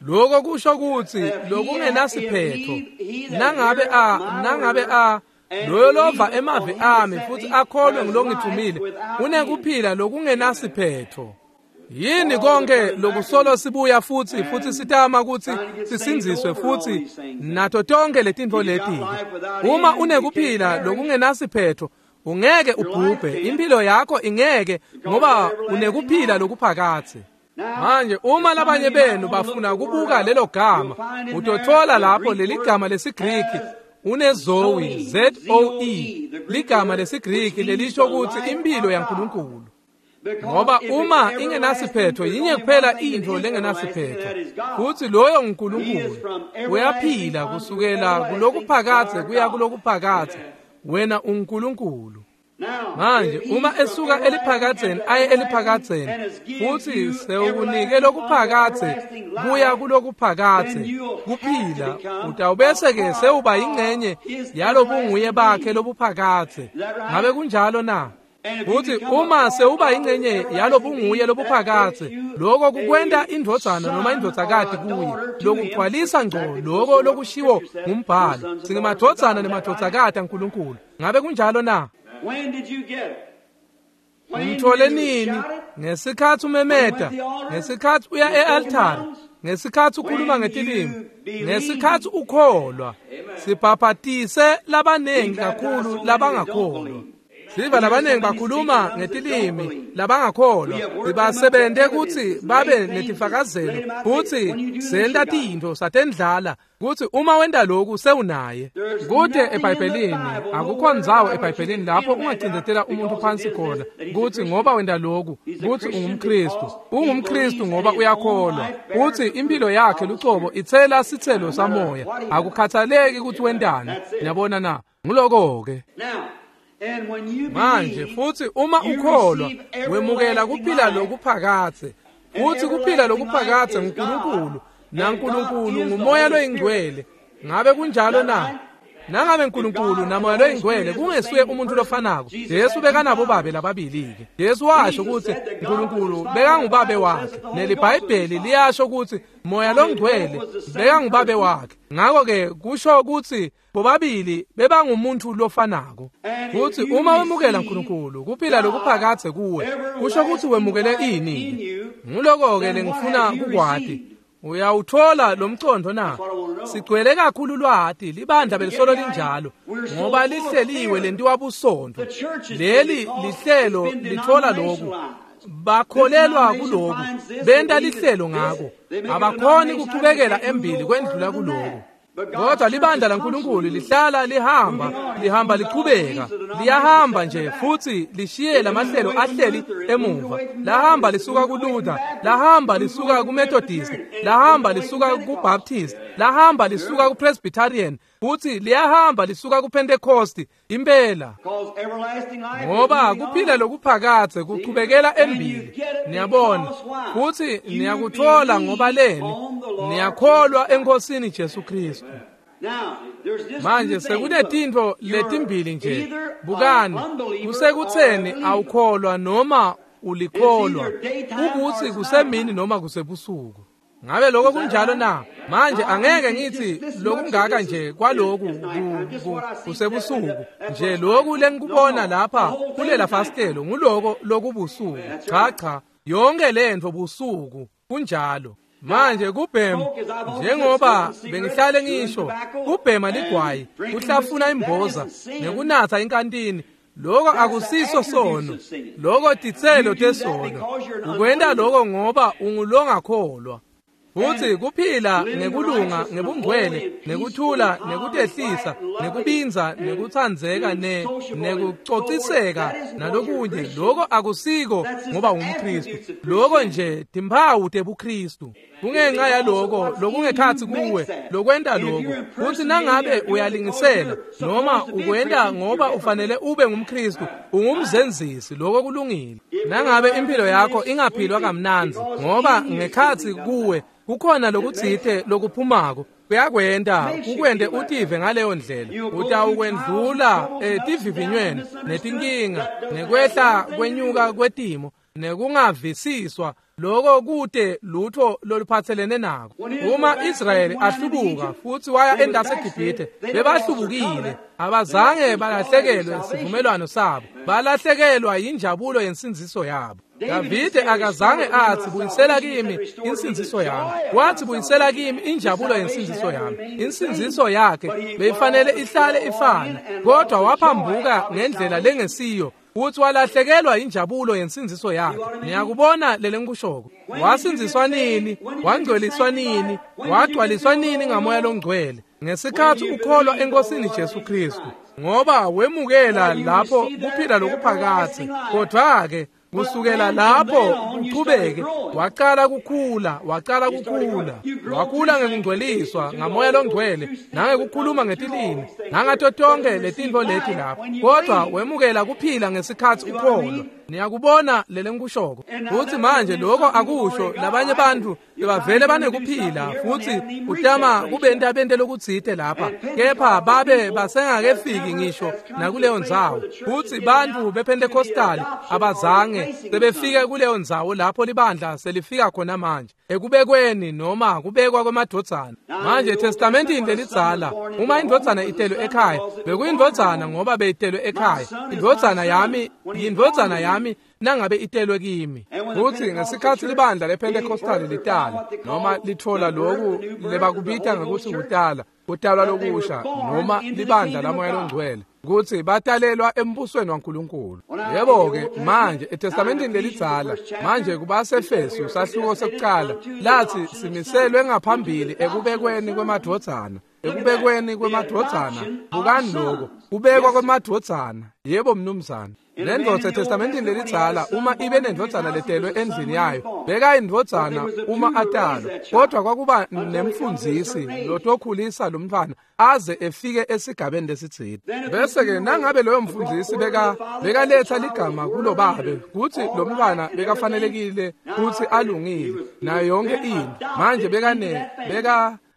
Lokho kusho ukuthi lokungenasiphetho. Nangabe a loyo lova emavi ami futhi akholwe ngilongithumile unekuphila lokungenasiphetho. Yini konke lokusolo sibuya futhi sitama ukuthi sisindziswe futhi nato tonke letintfo leti? Uma unekuphila lokungenasiphetho ungeke ubhubhe, impilo yakho ingeke, ngoba unekuphila lokuphakathe. Manje uma labanye benu bafuna kubuka lelo gama, utothola lapho leli gama lesiGriki unezoe, Z-O-E, ligama lesiGriki lelisho ukuthi impilo yaNkulunkulu. Ngoba uma ingenasiphetho, yinye kuphela into lengenasiphetho, futhi loyo nguNkulunkulu. Uyaphila kusukela kulokuphakathe kuya kulokuphakathe. Wena uNkulunkulu. Manje uma esuka eliphakatheni aye eliphakatheni, futhi sewukunike lokuphakathe kuya kulokuphakathe kuphila, utawubese ke sewuba ingcenye yalobunguye bakhe lobuphakathe. Ngabe kunjalo na? Futhi uma sewuba ingcenye yalobunguye lobuphakathe, lokho kukwenta indvodzana noma indvodzakati kuye, lokugcwalisa ngco lokho lokushiwo ngumbhalo, singemadvodzana nemadvodzakati aNkulunkulu. Ngabe kunjalo na?
When did you get it?
Umthole nini? Ngesikhathi umemeta, ngesikhathi uya e-altare, ngesikhathi ukhuluma ngetilimi, ngesikhathi ukholwa. Sibhabhatise labanengi kakhulu labangakholwa. Siva labanengi bakhuluma ngetilimi labangakholwa. Sibasebente ukuthi babe netifakazelo futhi senta tintfo satendlala kuthi uma wenta lokhu sewunaye. Kude eBhayibhelini akukho ndzawo eBhayibhelini lapho ungacindzetela umuntu phansi khona kuthi ngoba wenta lokhu kuthi ungumKristu. UngumKristu ngoba uyakholwa uthi impilo yakhe lucobo itsela sitselo samoya, akukhathaleki ukuthi wentani. Niyabona na? Nguloko ke. Manje futhi uma ukholwa wemukela kuphila lokuphakathe, futhi kuphila lokuphakathe nguNkulunkulu, naNkulunkulu ngumoya loyingcwele. Ngabe kunjalo na? Nangabe uNkulunkulu namoya loyingcwele kungesuye umuntu lofanako, Jesu bekanabo babe lababili-ke. Jesu washo ukuthi uNkulunkulu bekangubabe wakhe, neliBhayibheli liyasho ukuthi moya longcwele bekangubabe wakhe. Ngakho-ke kusho ukuthi bobabili bebangumuntu lofanako. Futhi uma wemukela uNkulunkulu kuphila lokuphakathe kuwe, kusho ukuthi wemukele ini? Nguloko-ke lengifuna kukwati. Uyawuthola lo mcondo na? Sigcwele kakhulu lwati, libandla belisolo linjalo, ngoba lihleliwe lentiwa busontfo. Leli lihlelo lithola lokhu. Bakholelwa kuloku, benta lihlelo ngako. Abakhoni kuchubekela embili kwendlula kuloku. Kodwa libandla laNkulunkulu lihlala lihamba, lihamba lichubeka, liyahamba nje futhi lishiye lamahlelo ahleli emuva. Lahamba lisuka kuLuther, lahamba lisuka kuMethodist, lahamba lisuka kuBaptist, lahamba lisuka kuPresbyterian, futhi liyahamba lisuka kuPentecost impela. Ngoba kuphila lokuphakadze kuchubekela embili. Niyabona, futhi niyakuthola ngoba leni niyakholwa eNkosini Jesu Kristu. Manje sekunetintfo letimbili nje. Bukani, kusekutseni awukholwa noma ulikholwa, kukuthi kusemini noma kusebusuku. Ngabe lokho kunjalo na? Manje angeke ngithi lokungaka nje kwaloku kusebusuku nje, lokhu lengikubona lapha kulela fastelo nguloko lokubusuku. Cha cha, yonke lento busuku kunjalo. Manje kubhema, njengoba bengihlale ngisho, kubhema ligwayi, kuhlafuna imboza nekunatha inkantini, lokho akusiso sono, lokho titselo tesono. Ukwenta lokho ngoba ungulongakholwa. Futhi kuphila ngekulunga, ngebungcwele, nekuthula, nekutehlisa, nekubinza, nekutsandzeka, nekucociseka nalokunye, lokho akusiko ngoba ungumKristu. Lokho nje timphawu tebuKristu. Kungenxa yaloko lokungekhatsi kuwe lokwenta lokho. Futhi nangabe uyalingisela noma ukwenta ngoba ufanele ube ngumKristu, ungumzenzisi, lokho kulungile. Nangabe impilo yakho ingaphilwa kamnandzi ngoba ngekhatsi kuwe kukhona lokutsite lokuphumako, kuyakwenta kukwente utive ngaleyo ndlela. Utawukwendlula etivivinyweni netinkinga nekwehla kwenyuka kwetimo nekungavisiswa, lokho kute lutho loluphatselene nako. Uma Israyeli ahlubuka futhi waya endase eGibhithe, bebahlubukile, abazange balahlekelwe sivumelwano sabo, balahlekelwa yinjabulo yensindziso yabo. Davide akazange athi buyisela kimi insindziso yami, wathi buyisela kimi injabulo yensindziso yami. Insindziso yakhe beyifanele ihlale ifana, kodwa waphambuka ngendlela lengesiyo futhi walahlekelwa injabulo yensindziso yakhe. Niyakubona lele ngikushoko? Wasindziswa nini? Wangcweliswa nini? Wagcwaliswa nini ngamoya longcwele? Ngesikhathi ukholwa eNkosini Jesu Kristu, ngoba wemukela lapho kuphila lokuphakadze. Kodwa-ke kusukela lapho kuchubeke waqala kukhula, waqala kukhula, wakhula ngekungcweliswa ngamoya longcwele nangekukhuluma ngetilimi nangato tonke letintfo leti lapho. Kodwa wemukela kuphila ngesikhathi ukholwa. Niyakubona lele ngikushoko? Futhi manje lokho akusho labanye bantu bebavele banekuphila futhi utama kubenta bente lokutsite lapha, kepha babe basengakefiki ngisho nakuleyo ndzawo. Futhi bantu bePentecostal abazange sebefike kuleyo ndzawo lapho libandla selifika khona manje, ekubekweni noma kubekwa kwemadvodzana. Manje eTestamentini lelidzala, uma indvodzana itelwe ekhaya, bekuyindvodzana ngoba beyitelwe ekhaya. Indvodzana yami yindvodzana yami nangabe itelwe kimi. Futhi ngesikhathi libandla lePentecostal litala noma lithola loku lebakubita ngekuthi kutala, kutalwa lokusha noma libandla lamoya longcwele, kutsi batalelwa embusweni waNkulunkulu. Yebo-ke manje eTestamentini lelidzala, manje kubaseFesu sahluko sekucala, lathi simiselwe ngaphambili ekubekweni kwemadvodzana, ekubekweni kwemadvodzana. Bukani lokho, kubekwa kwemadvodzana. Yebo mnumzane. Lendvodza eTestamentini lelidzala, uma ibe nendvodzana letelwe endlini yayo, bekayindvodzana uma atalwa, kodwa kwakuba nemfundzisi lotokhulisa lo mntfwana aze efike esigabeni lesitsite. Bese-ke nangabe loyo mfundzisi bekaletha ligama kulo babe kutsi lo mntfwana bekafanelekile kutsi alungile nayo yonke into, manje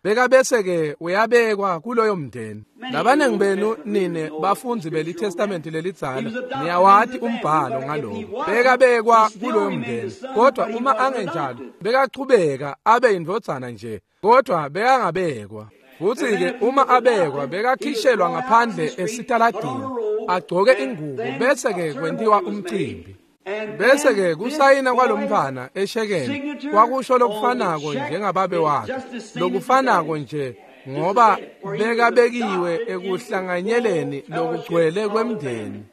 beka bese-ke uyabekwa kuloyo mndeni. Labanengi benu nine bafundzi beliTestamenti lelidzala niyawati umbhalo ngaloko. Bekabekwa kuloyo mndeni, kodwa uma angenjalo bekachubeka abe yindvodzana nje, kodwa bekangabekwa. Futhi-ke uma abekwa bekakhishelwa ngaphandle esitaladini agcoke ingubo, bese-ke kwentiwa umcimbi. Bese-ke kusayina kwalomntfwana eshekeni kwakusho lokufanako njengababe wakhe, lokufanako nje, ngoba bekabekiwe ekuhlanganyeleni lokugcwele kwemndeni.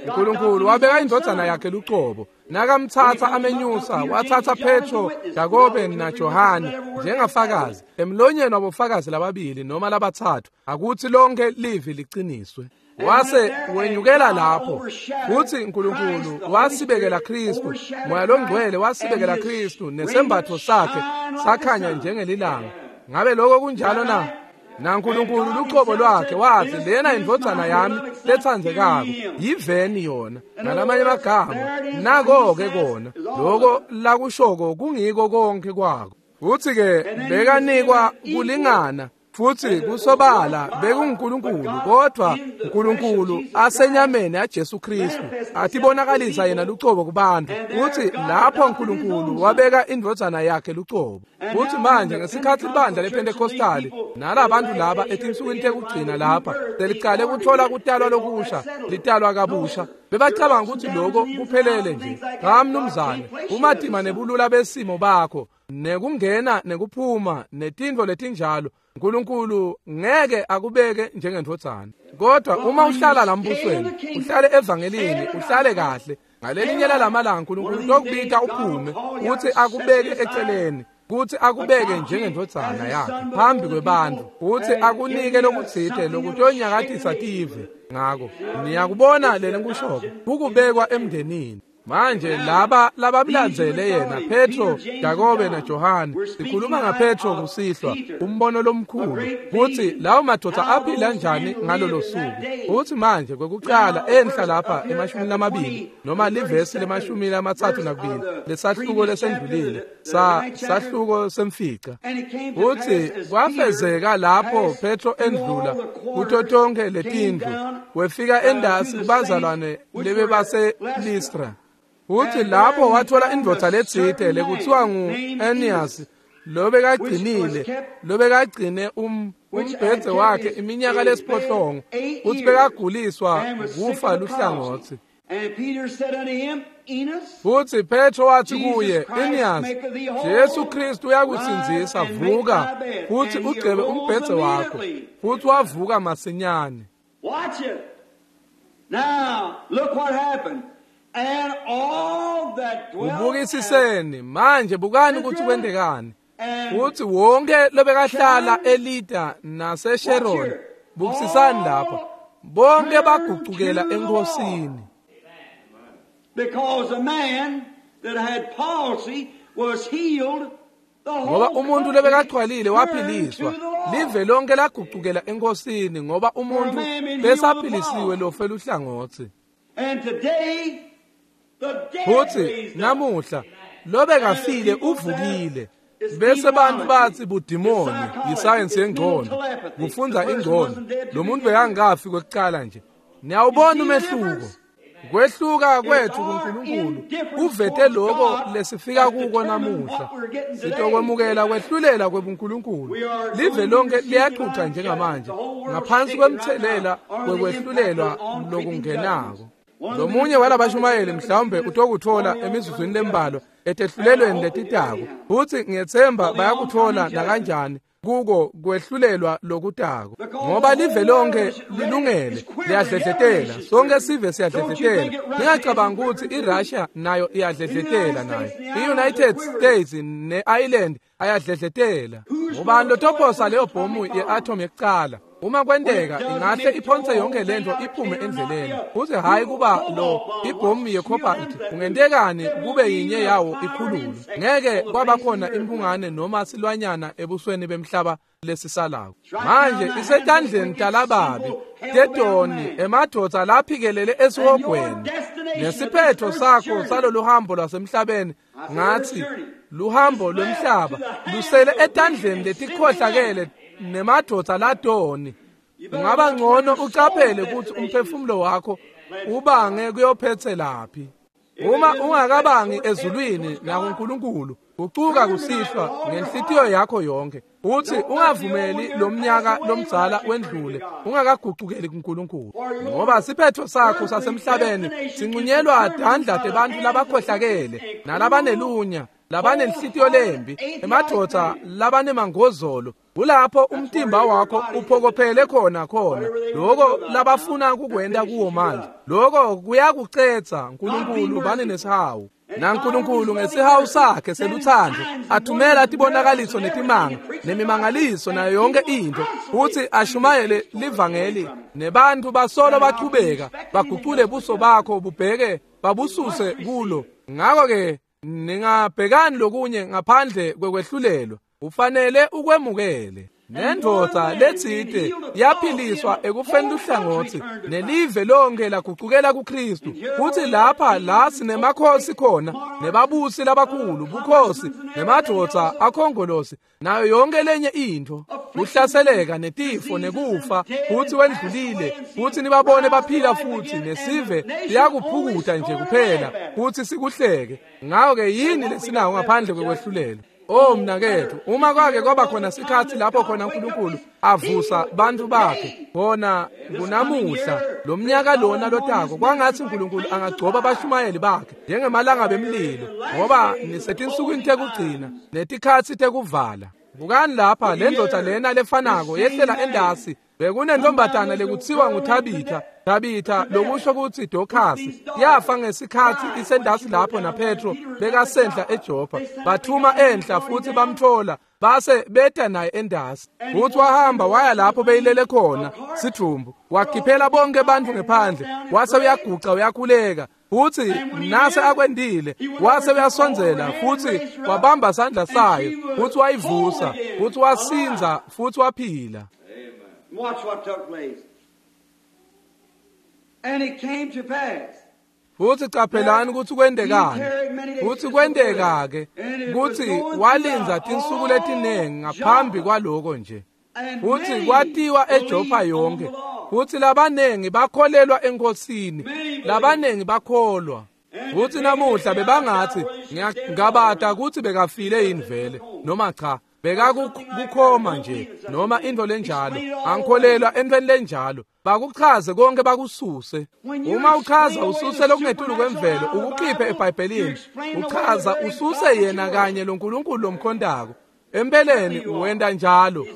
uNkulunkulu wabeka indvodzana yakhe lucobo nakamtsatsa amenyusa, watsatsa Petro, Jakobe naJohane njengafakazi emlonyeni wabofakazi lababili noma labatsatfu, akutsi lonke livi liqiniswe. Wase wenyukela lapho futsi uNkulunkulu wasibekela Kristu, Moya loNgcwele wasibekela Kristu, nesembatfo sakhe sakhanya njengelilanga. Ngabe lokho kunjalo na? NaNkulunkulu lucobo lwakhe wathi, lena indvodzana yami letsandzekako, yiveni yona. Ngalamanye amagama, nako-ke kona loko lakushoko kungiko konke kwako. Futsi-ke bekanikwa kulingana, futsi kusobala bekunguNkulunkulu, kodvwa uNkulunkulu asenyameni yaJesu Kristu atibonakalisa yena lucobo kubantu. Futsi lapho uNkulunkulu wabeka indvodzana yakhe lucobo. Futsi manje ngesikhatsi libandla lePentecostali nalabantu laba etinsukwini tekugcina lapha selicale kuthola kutalwa lokusha, litalwa kabusha, bebacabanga ukuthi lokho kuphelele nje. Cha mnumzane, umatima nebulula besimo bakho nekungena nekuphuma netintfo letinjalo, uNkulunkulu ngeke akubeke njengendvodzana. Kodwa uma uhlala lambusweni, uhlale evangelini, uhlale kahle, ngalelinye lamalanga uNkulunkulu utokubita uphume, uthi akubeke eceleni, kuthi akubeke njengendvodzana yakhe phambi kwebantfu, uthi akunike lokutsite lokutonyakatisa tive. Ngako niyakubona leli nkushoko kukubekwa emndenini. Manje laba labamlandzele yena, Petro, Jakobe naJohane, sikhuluma ngaPetro kusihlwa, umbono lomkhulu, kutsi lawo madoda aphila njani ngalolo suku. Uthi manje kwekucala enhla lapha emashumini lamabili noma livesi lemashumi lamatsatfu nakubili lesahluko lesendlulile sahluko semfica, uthi kwafezeka lapho Petro endlula kuto tonke letindlu, wefika endasi kubazalwane lebebase Listra. Uthi lapho wathola indvodza letsite lekuthiwa ngu-Enias, lobekagcine umbhedze wakhe iminyaka lesiphohlongo, uthi bekaguliswa kufa luhlangotsi. Futhi Petro wathi kuye, Enias, Jesu Kristu uyakusindzisa, vuka futhi ugcebe umbhedze wakho. Futhi wavuka masinyane.
Watch it. Now, look what happened.
Ubukisiseni manje, bukani ukuthi kwentekani. Uthi wonke lobekahlala eLida naseSharon, bukisisani lapha, bonke bagucukela eNkosini.
Because a man that had palsy was healed,
ngoba umuntu lebekagcwalile waphiliswa, live lonke lagucukela eNkosini, ngoba umuntu besaphilisiwe lofe luhlangotsi. Futhi namuhla lobekafile uvukile, bese bantu bathi budimoni, yisayensi yengqondo, kufundza ingqondo. Lo muntu bekangafi kwekucala nje. Niyawubona umehluko. Kwehluka kwethu kuNkulunkulu kuvete lokho lesifika kuko namuhla. Sitokwemukela kwehlulela kwebuNkulunkulu. Live lonke liyaxuxa njengamanje ngaphansi kwemthelela wekwehlulelwa lokungenako. Lomunye walabashumayeli mhlawumbe utokuthola emizuzwini lembalwa etehlulelweni letitako, futhi ngiyethemba bayakuthola nakanjani kuko kwehlulelwa lokutako, ngoba live lonke lilungele liyadledletela, sonke sive siyadledletela. Ningacabanga ukuthi iRussia nayo iyadledletela, nayo i-United States ne-Ireland ayadledletela. Ubani lotophosa leyo bhomu ye-atom yekucala? Uma kwenteka ingahle iphonse yonke lento iphume endleleni. Futhi hayi kuba lo ibhomu ye-cobalt kungentekani kube yinye yawo ikhululwe. Ngeke kwaba khona imphungane noma silwanyana ebusweni bemhlaba lesisalako. Manje isetandleni talababi tetoni emadvodza laphikelele esihogweni. Nesiphetho sakho salolu hambo lwasemhlabeni, ngathi luhambo lwemhlaba lusele etandleni letikhohlakele nemadvodza latoni. Ungaba ngcono ucaphele ukuthi umphefumulo wakho ubange kuyophethe laphi. Uma ungakabangi ezulwini nakuNkulunkulu, gucuka kusihlwa ngenhlitiyo yakho yonke, uthi ungavumeli lomnyaka lomdzala wendlule ungakagucukeli kuNkulunkulu, ngoba siphetho sakho sasemhlabeni sincunyelwa tandla tebantfu labakhohlakele nalabanelunya, labanenhlitiyo lembi, emadvodza labanemangozolo. Kulapho umtimba wakho uphokophele khona lokho labafuna kukwenta kuwo manje. Lokho kuyakucetsa. Nkulunkulu bani nesihawu, naNkulunkulu ngesihawu sakhe seluthando athumela tibonakaliso netimanga nemimangaliso nayo yonke intfo, futsi ashumayele livangeli, nebantfu basolo bachubeka bagucule buso bakho bubheke babususe kulo. Ngakho-ke ningabhekani lokunye ngaphandle kwekwehlulelwa, ufanele ukwemukele. Nendvodza letsite yaphiliswa ekufeni luhlangotsi, nelive lonke lagucukela kuKristu. Futsi lapha la sinemakhosi khona, nebabusi labakhulu, bukhosi, nemadvodza akhongolosi, nayo yonke lenye intfo, kuhlaseleka netifo nekufa, futsi wendlulile, futsi nibabone baphila futhi, nesive siyakuphukuta nje kuphela futsi sikuhleke. Ngakho-ke yini lesinawo ngaphandle kwekwehlulelwa? Oh mnaketfu, uma kwake kwaba khona sikhatsi lapho khona uNkulunkulu avusa bantfu bakhe, khona kunamuhla lomnyaka lona lotako, kwangatsi uNkulunkulu angagcoba bashumayeli bakhe njengemalanga bemlilo, ngoba nisetinsukwini tekugcina netikhatsi tekuvala. Bukani lapha, le ndvodza lena lefanako yehlela endasi. Bekunentombatana lekutsiwa nguThabitha, Tabitha lokusho kutsi Dokhasi, yafa ngesikhatsi isendasi lapho naPetro bekasenhla eJopha. Bathuma enhla futhi bamthola, base beta naye endasi. Futhi wahamba waya lapho beyilele khona sidvumbu, wakhiphela bonke bantfu ngephandle, wase uyaguca uyakhuleka. Futhi nase akwendile, wase uyasondzela futhi wabamba sandla sayo, futhi wayivusa, futhi wasinza, futhi waphila.
Watch what took place. And it came to pass.
Futhi caphelani kutsi kwentekani. Futhi kwenteka-ke kutsi walindza tinsuku letinengi ngaphambi kwaloko nje. Futhi kwatiwa eJopha yonke. Futhi labanengi bakholelwa eNkosini, labanengi bakholwa. Futhi namuhla bebangathi, ngiyangabata kutsi bekafile yini vele noma cha. Bekakukhoma nje noma intfo lenjalo, angikholelwa entfweni lenjalo. Bakuchaze konke bakususe. Uma uchaza ususe lokungetulu kwemvelo, ukukhiphe eBhayibhelini, uchaza ususe yena kanye loNkulunkulu lomkhontako. Empeleni uwenta njalo.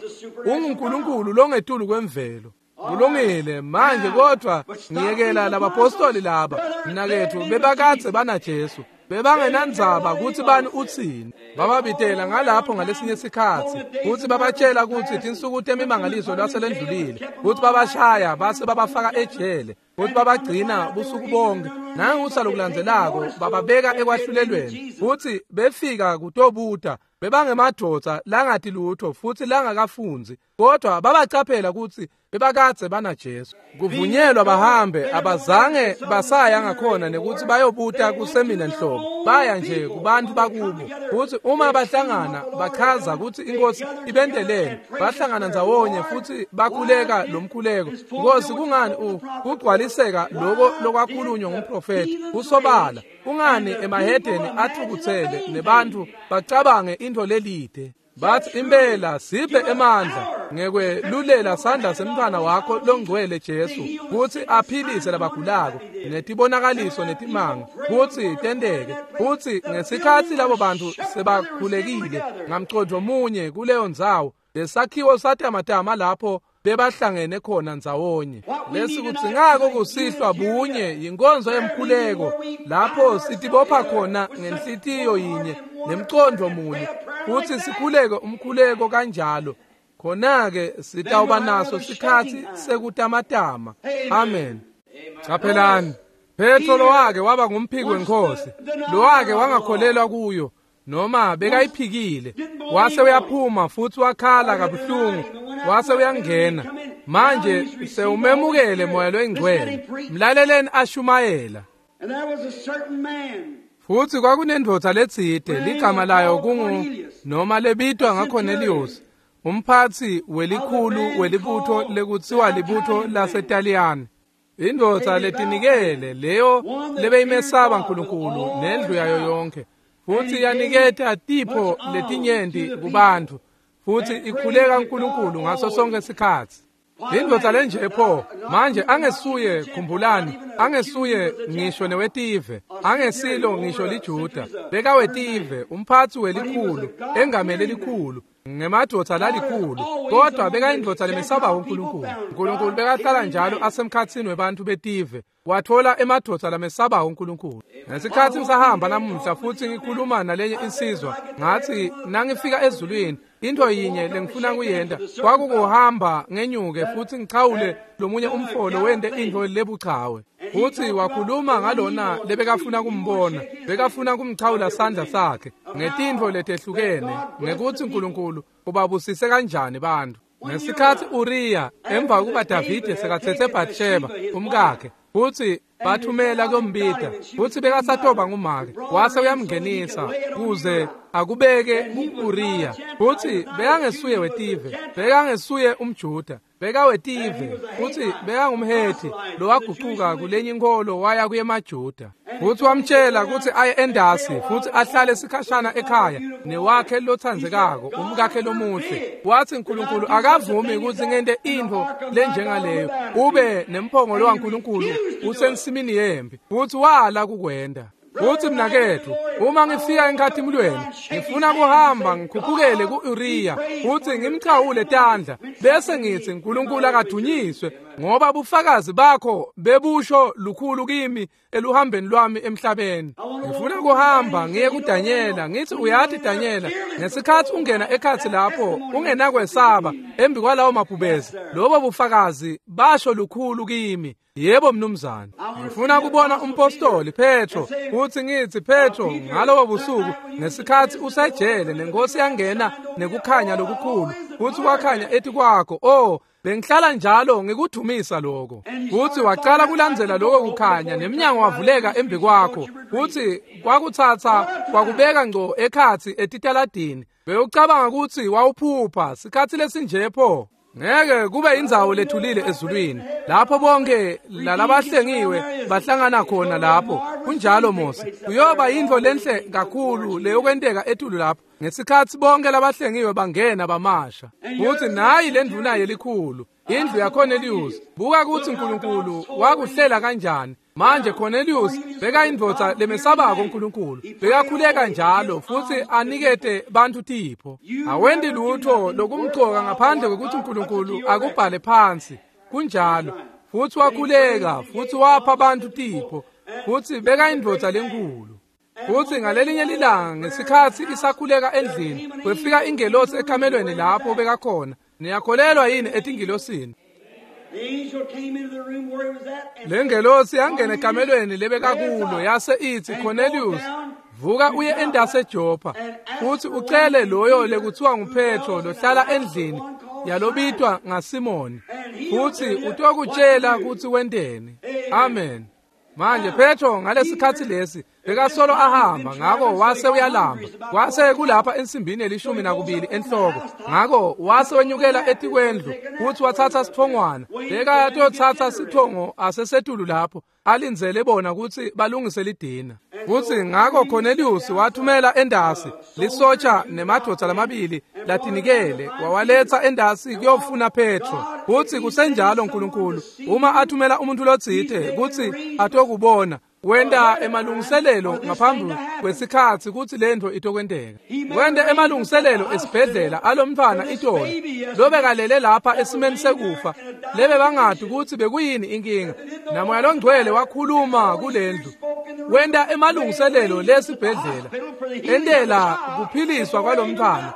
UnguNkulunkulu longetulu kwemvelo. Kulungile manje, kodwa ngiyekela labapostoli laba mnaketfu bebakadze banaJesu. Bebangenandzaba kutsi bani utsini. Bababitela ngalapho ngalesinye sikhatsi, kutsi babatshela kutsi tinsuku temimangaliso lwaselendlulile, kutsi babashaya base babafaka ejele, kutsi babagcina busuku bonke. Nangusa lokulandzelako bababeka ekwahlulelweni, kutsi befika kutobuta. Bebangemadvodza langati lutho futhi langakafundzi, kodwa babacaphela kutsi bebakadze banaJesu. Kuvunyelwa bahambe, abazange basaya ngakhona nekuthi bayobuta kusemina nhlobo. Baya nje kubantu bakubo, futhi uma bahlangana bachaza kutsi inkosi ibentelene. Bahlangana ndzawonye futhi bakhuleka lomkhuleko. Nkosi, kungani kugcwaliseka lokho lokwakhulunywa ngumprofeti kusobala? Kungani emahedeni athukutsele nebantu bacabange intfo lelide? Bathi impela siphe emandla ngekwelulela sandla semntfwana wakho longcwele Jesu, kutsi aphilise labagulako netibonakaliso netimanga kutsi tenteke. Futsi ngesikhatsi labo bantu sebakhulekile ngamcondvo munye kuleyo ndzawo, lesakhiwo satamatama lapho bebahlangene khona ndzawonye. Lesikudzingako kusihlwa bunye yinkonzo yemkhuleko, lapho sitibopha khona ngenhlitiyo yinye nemcondvo munye, futsi sikhuleke umkhuleko kanjalo. Khona-ke sitawuba naso sikhatsi sekutamatama. Amen. Caphelani, Petro lowake waba ngumphiki weNkhosi, lowake wangakholelwa kuyo, noma bekayiphikile, wase uyaphuma futhi wakhala kabuhlungu, wase uyangena. Manje sewumemukele Moya loyiNgcwele. Mlaleleni ashumayela. Futhi kwakunendvodza letsite ligama layo kungu noma lebitwa ngaCornelius, umphatsi welikhulu welibutho lekutsiwa libutho laseTaliyane. Indvodza letinikele leyo lebeyimesaba uNkulunkulu nendlu yayo yonke, futhi yaniketa tipho letinyenti kubantfu, futhi ikhuleka uNkulunkulu ngaso sonke isikhatsi. Indvodza lenje pho manje angesuye, khumbulani, angesuye ngisho newetive, angesilo ngisho liJuda, bekawetive, umphatsi welikhulu, engamele likhulu, ngemadvodza lalikhulu, kodwa bekayindvodza lemesaba uNkulunkulu. uNkulunkulu bekahlala njalo asemkhatsini webantfu betive, wathola emadvodza lamesaba uNkulunkulu. Ngesikhatsi ngisahamba namuhla futhi ngikhuluma nalenye insizwa, ngathi nangifika ezulwini, into yinye lengifuna kuyenta kwakukuhamba ngenyuke futhi ngichawule lomunye umfolo wente into lebuchawe. Futhi wakhuluma ngalona lebekafuna kumbona, bekafuna kumchawula sandla sakhe ngetintfo letehlukene, ngekuthi uNkulunkulu ubabusise kanjani bantfu. Ngesikhatsi Uriya emva kuba Davide sekatsetse Bathsheba umkakhe, futhi bathumela kuyombita, futhi bekasatoba ngumake, wase uyamngenisa kuze akubeke ku-Uriya. Futhi bekangesuye wetive, bekangesuye umJuda, bekawetive, futhi bekangumHethi lowagucuka kulenye inkholo waya kuyemaJuda. Futhi wamtshela ukuthi aye endasi futhi ahlale sikhashana ekhaya newakhe lothandzekako, umkakhe lomuhle. Wathi uNkulunkulu akavumi ukuthi ngente intfo lenjengaleyo, ube nemphongolo waNkulunkulu usensimini yempi. Futhi wala kukwenta. Futhi mnaketfu, uma ngifika enkhatimulweni, ngifuna kuhamba ngikhuphukele ku-Uriya futhi ngimchawule tandla, bese ngithi uNkulunkulu akadunyiswe, ngoba bufakazi bakho bebusho lukhulu kimi eluhambeni lwami emhlabeni. Ngifuna kuhamba ngiye kuDanyela, ngithi uyathi Danyela, ngesikhatsi ungena ekhatsi lapho ungenakwesaba embi kwalawo mabhubezi, lobo bufakazi basho lukhulu kimi. Yebo mnumzane. Ngifuna kubona umpostoli Petro, futhi ngithi Petro, ngalobo busuku ngesikhatsi usejele nenkosi yangena nekukhanya lokukhulu, futhi kwakhanya etikwakho, oh bengihlala njalo ngikudumisa lokho. Futhi wacala kulandzela lokho kukhanya, nemnyango wavuleka embi kwakho, futhi kwakutsatsa kwakubeka ngco ekhatsi etitaladini. Bewucabanga ukuthi wawuphupha sikhatsi lesinje pho. Ngeke kube indzawo lethulile ezulwini lapho bonke lalabahlengiwe bahlangana khona lapho. Kunjalo Mose, kuyoba yintfo lenhle kakhulu leyokwenteka etulu lapho ngesikhatsi bonke labahlengiwe bangena bamasha. Futhi nayi lendvuna yelikhulu, indlu yaCornelius. Buka ukuthi uNkulunkulu wakuhlela kanjani. Manje Cornelius bekayindvodza lemesabako uNkulunkulu, bekakhuleka njalo futhi anikete bantfu tipho. Awendi lutho lokumcoka ngaphandle kwekuthi uNkulunkulu akubhale phansi. Kunjalo. Futhi wakhuleka futhi wapha bantfu tipho, futhi bekayindvodza lenkulu. Futhi ngalelinye lilanga ngesikhatsi isakhuleka endlini, kwefika ingelosi ekamelweni lapho bekakhona. Niyakholelwa yini etingilosini? Lengelosi yangena ekamelweni lebekakulo, yase ithi, Cornelius, vuka uye endasi eJopha, futhi ucele loyo lekuthiwa nguPetro lohlala endlini yalobitwa ngaSimoni, futhi utokutshela ukuthi wenteni. Amen. Manje Petro ngalesikhatsi lesi bekasolo ahamba, ngako wase uyalamba, wase kulapha ensimbini 12 enhloko. Ngako wase wenyukela etikwendlu futhi wathatha sithongwana, bekatotsatsa sithongo asesetulu lapho alindzele bona ukuthi balungise lidina. Futhi ngako Cornelius wathumela endasi lisotsha nemadvodza lamabili latinikele, wawaletsa endasi kuyofuna Petro. Futhi kusenjalo uNkulunkulu uma athumela umuntu lotsite kutsi atokubona, wenta emalungiselelo ngaphambi kwesikhatsi kutsi lentfo itokwenteka. Wente emalungiselelo esibhedlela alomntfwana itolo lobekalele lapha esimeni sekufa, lebe bangati kutsi bekuyini inkinga. Namoya longcwele wakhuluma kulendlu, wenta emalungiselelo lesibhedlela entela kuphiliswa kwalomntfwana.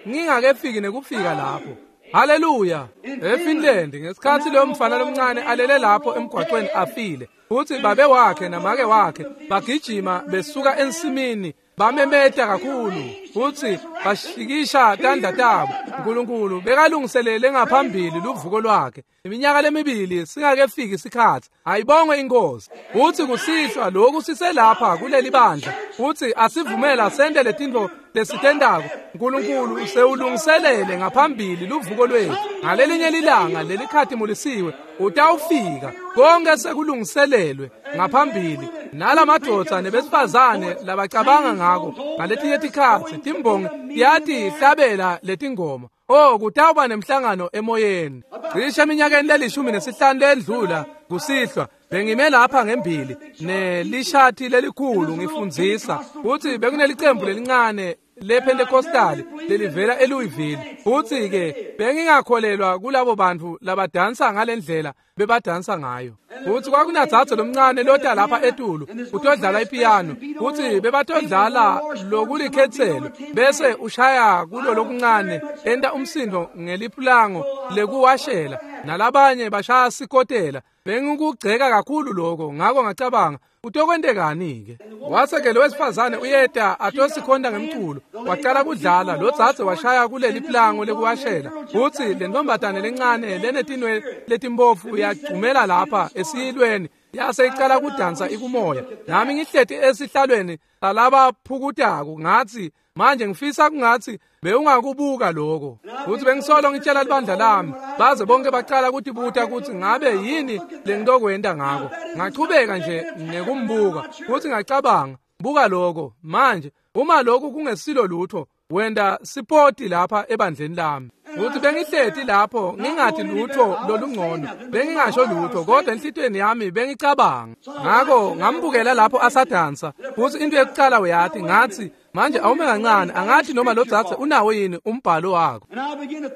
Ngingakefiki nekufika lapho. Haleluya. eFinland ngesikhatsi loyo mfana lomncane alele lapho emgwaqweni afile, futhi babe wakhe namake wakhe bagijima besuka ensimini, bamemeta kakhulu futhi bashikisha tandla tabo. Nkulunkulu bekalungiselele ngaphambili luvuko lwakhe iminyaka lemibili singakefiki isikhathi. Ayibongwe inkosi. Uthi kusihlwa lokhu siselapha kuleli bandla, uthi asivumela sente letintfo lesitendako. Nkulunkulu sewulungiselele ngaphambili luvuko lwethu. Ngalelinye lilanga lelikhatimulisiwe utawufika, konke sekulungiselelwe ngaphambili. Nalamadvodza nebesifazane labacabanga ngako ngaletinye tikhatsi timbongi tiyatihlabela letingoma. Oh, kutawuba nemhlangano emoyeni. Cishe eminyakeni le-15 lendlula kusihlwa bengime lapha ngembili nelishati lelikhulu ngifundzisa kutsi bekunelicembu lelincane lePentecostal lelivela eLouisville. Futsi ke bengingakholelwa kulabo bantu labadansa ngalendlela bebadansa ngayo. Futsi kwakunadzadze lomncane lota lapha etulu utodlala ipiano, futsi bebatodlala lokulikhetselo bese ushaya kulo lokuncane enta umsindo ngelipulango lekuwashela, nalabanye bashaya sikotela. Bengikugceka kakhulu lokho, ngako ngacabanga utokwentekani ke. Wase ke lo wesifazane uyeta atosikhonta ngemculo, waqala kudlala. Lo dzadze washaya kuleli plango lekuwashela, futsi le ntombazane lencane lenetinwele letimbofu yagcumela lapha esiyilweni yase icala kudansa ikumoya. Nami ngihleti esihlalweni salabaphukutako, ngathi manje ngifisa kungathi bewungakubuka lokho. Futhi bengisolo ngitshela libandla lami, baze bonke baqala kutibuta ukuthi ngabe yini lengitokwenta ngako. Ngachubeka nje nekumbuka, futhi ngacabanga, buka lokho manje, uma lokhu kungesilo lutho, wenda sipoti lapha ebandleni lami. Futhi bengihleti lapho ngingathi lutho lolungcono, bengingasho lutho, kodwa enhlitiyweni yami bengicabanga. Ngakho ngambukela lapho asadansa, futhi into yokuqala uyathi, ngathi manje awume kancane, angathi noma lo dzadze unawo yini umbhalo wakho.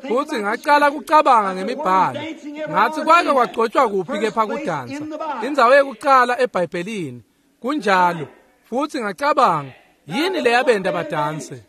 Futhi ngaqala kucabanga ngemibhalo, ngathi kwake kwagcotshwa kuphi kepha kudansa, indzawo yokuqala eBhayibhelini kunjalo. Futhi ngacabanga, yini leyabenda badanse?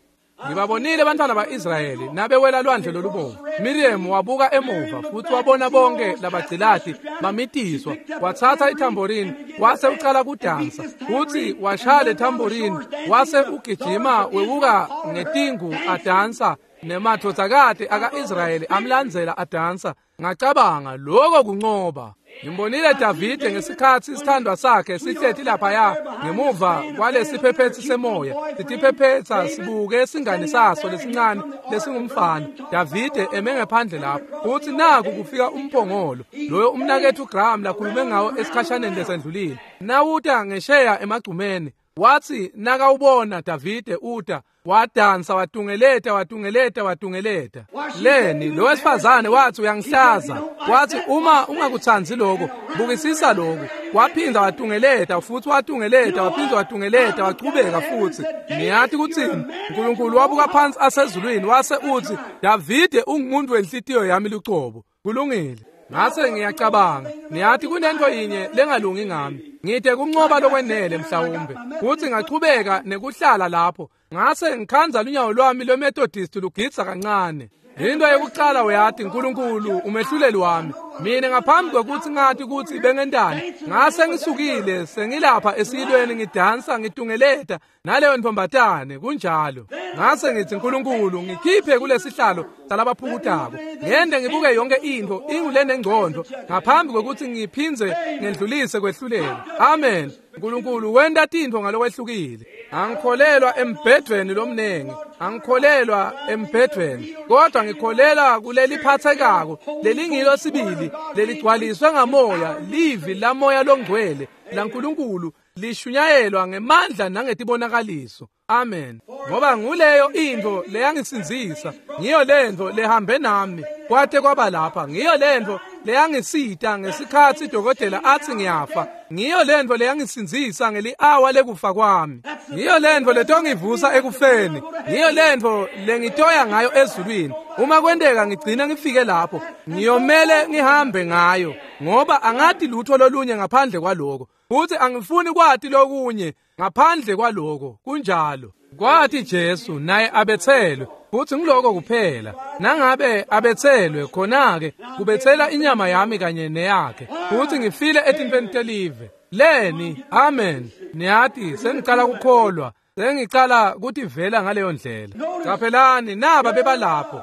Ngibabonile abantwana ba-Israyeli nabewela lwandle lolubomvu. Miriam wabuka emuva futhi wabona bonke labagcilati bamitiswa. Wathatha ithamborini wase ucala kudansa, futhi washaya le thamborini wase ugijima wewuka ngetingu adansa, nemadvodzakati aka-Israyeli amlandzela adansa. Ngacabanga, lokho kuncoba. Ngimbonile Davide ngesikhatsi isithandwa sakhe sihleti laphaya ngemuva kwalesiphephetsi semoya, sitiphephetsa sibuke singani saso lesincane lesingumfana. Davide eme ngephandle lapho, futhi naku kufika umphongolo loyo umnaketfu Graham lakhulume ngawo esikhashaneni lesendlulile. Nawuta ngesheya emagcumeni, wathi nakawubona Davide uta, wadansa watungeleta watungeleta watungeleta. Leni lo wesifazane wathi uyangihlaza, wathi uma ungakutsandzi lokho bukisisa lokho. Waphinda watungeleta futhi watungeleta waphinda watungeleta wachubeka futhi. Niyathi kuthini? uNkulunkulu wabuka phansi asezulwini wase uthi, Davide ungumuntu wenhlitiyo yami lucobo. Kulungile. Ngase ngiyacabanga, niyathi kunento yinye lengalungi ngami, ngide kuncoba lokwenele mhlawumbe. Futhi ngachubeka nekuhlala lapho, ngase ngikhanza lunyawo lwami lweMethodist lugidza kancane. Into yokuqala uyathi, uNkulunkulu umehluleli wami. Mina ngaphambi kwekuthi ngathi ukuthi bengentani, ngase ngisukile sengilapha esiyilweni ngidansa ngitungeleta naleyo ntombatane kunjalo. Ngase ngithi, uNkulunkulu ngikhiphe kulesihlalo salabaphukutako, ngende ngibuke yonke into ingulenengcondo ngaphambi kwekuthi ngiphindze ngendlulise kwehlulela. Amen. uNkulunkulu wenta tintfo ngalokwehlukile. Angikholelwa embhedweni lomnengi, angikholelwa embhedweni, kodwa ngikholelwa kuleliphathekako lelingilo sibili leligcwaliswe ngamoya, livi lamoya longcwele laNkulunkulu lishunyayelwa ngemandla nangetibonakaliso. Amen. Ngoba nguleyo into leyangisindzisa, ngiyo lento lehambe nami kwate kwaba lapha, ngiyo lento leyangisita ngesikhatsi dokotela athi ngiyafa, ngiyo lento leyangisindzisa ngeli-awa lekufa kwami, ngiyo lento letongivusa ekufeni, ngiyo lento lengitoya ngayo ezulwini. Uma kwenteka ngigcina ngifike lapho, ngiyomele ngihambe ngayo, ngoba angati lutho lolunye ngaphandle kwaloko, futhi angifuni kwati lokunye ngaphandle kwaloko. Kunjalo. Kwathi Jesu naye abethelwe, futhi ngiloko kuphela. Nangabe abethelwe, khona-ke kubethela inyama yami kanye neyakhe, futhi ngifile etintweni telive. Leni, amen. Niyathi sengicala kukholwa. Sengicala kutivela ngaleyo ndlela. Caphelani naba bebalapho.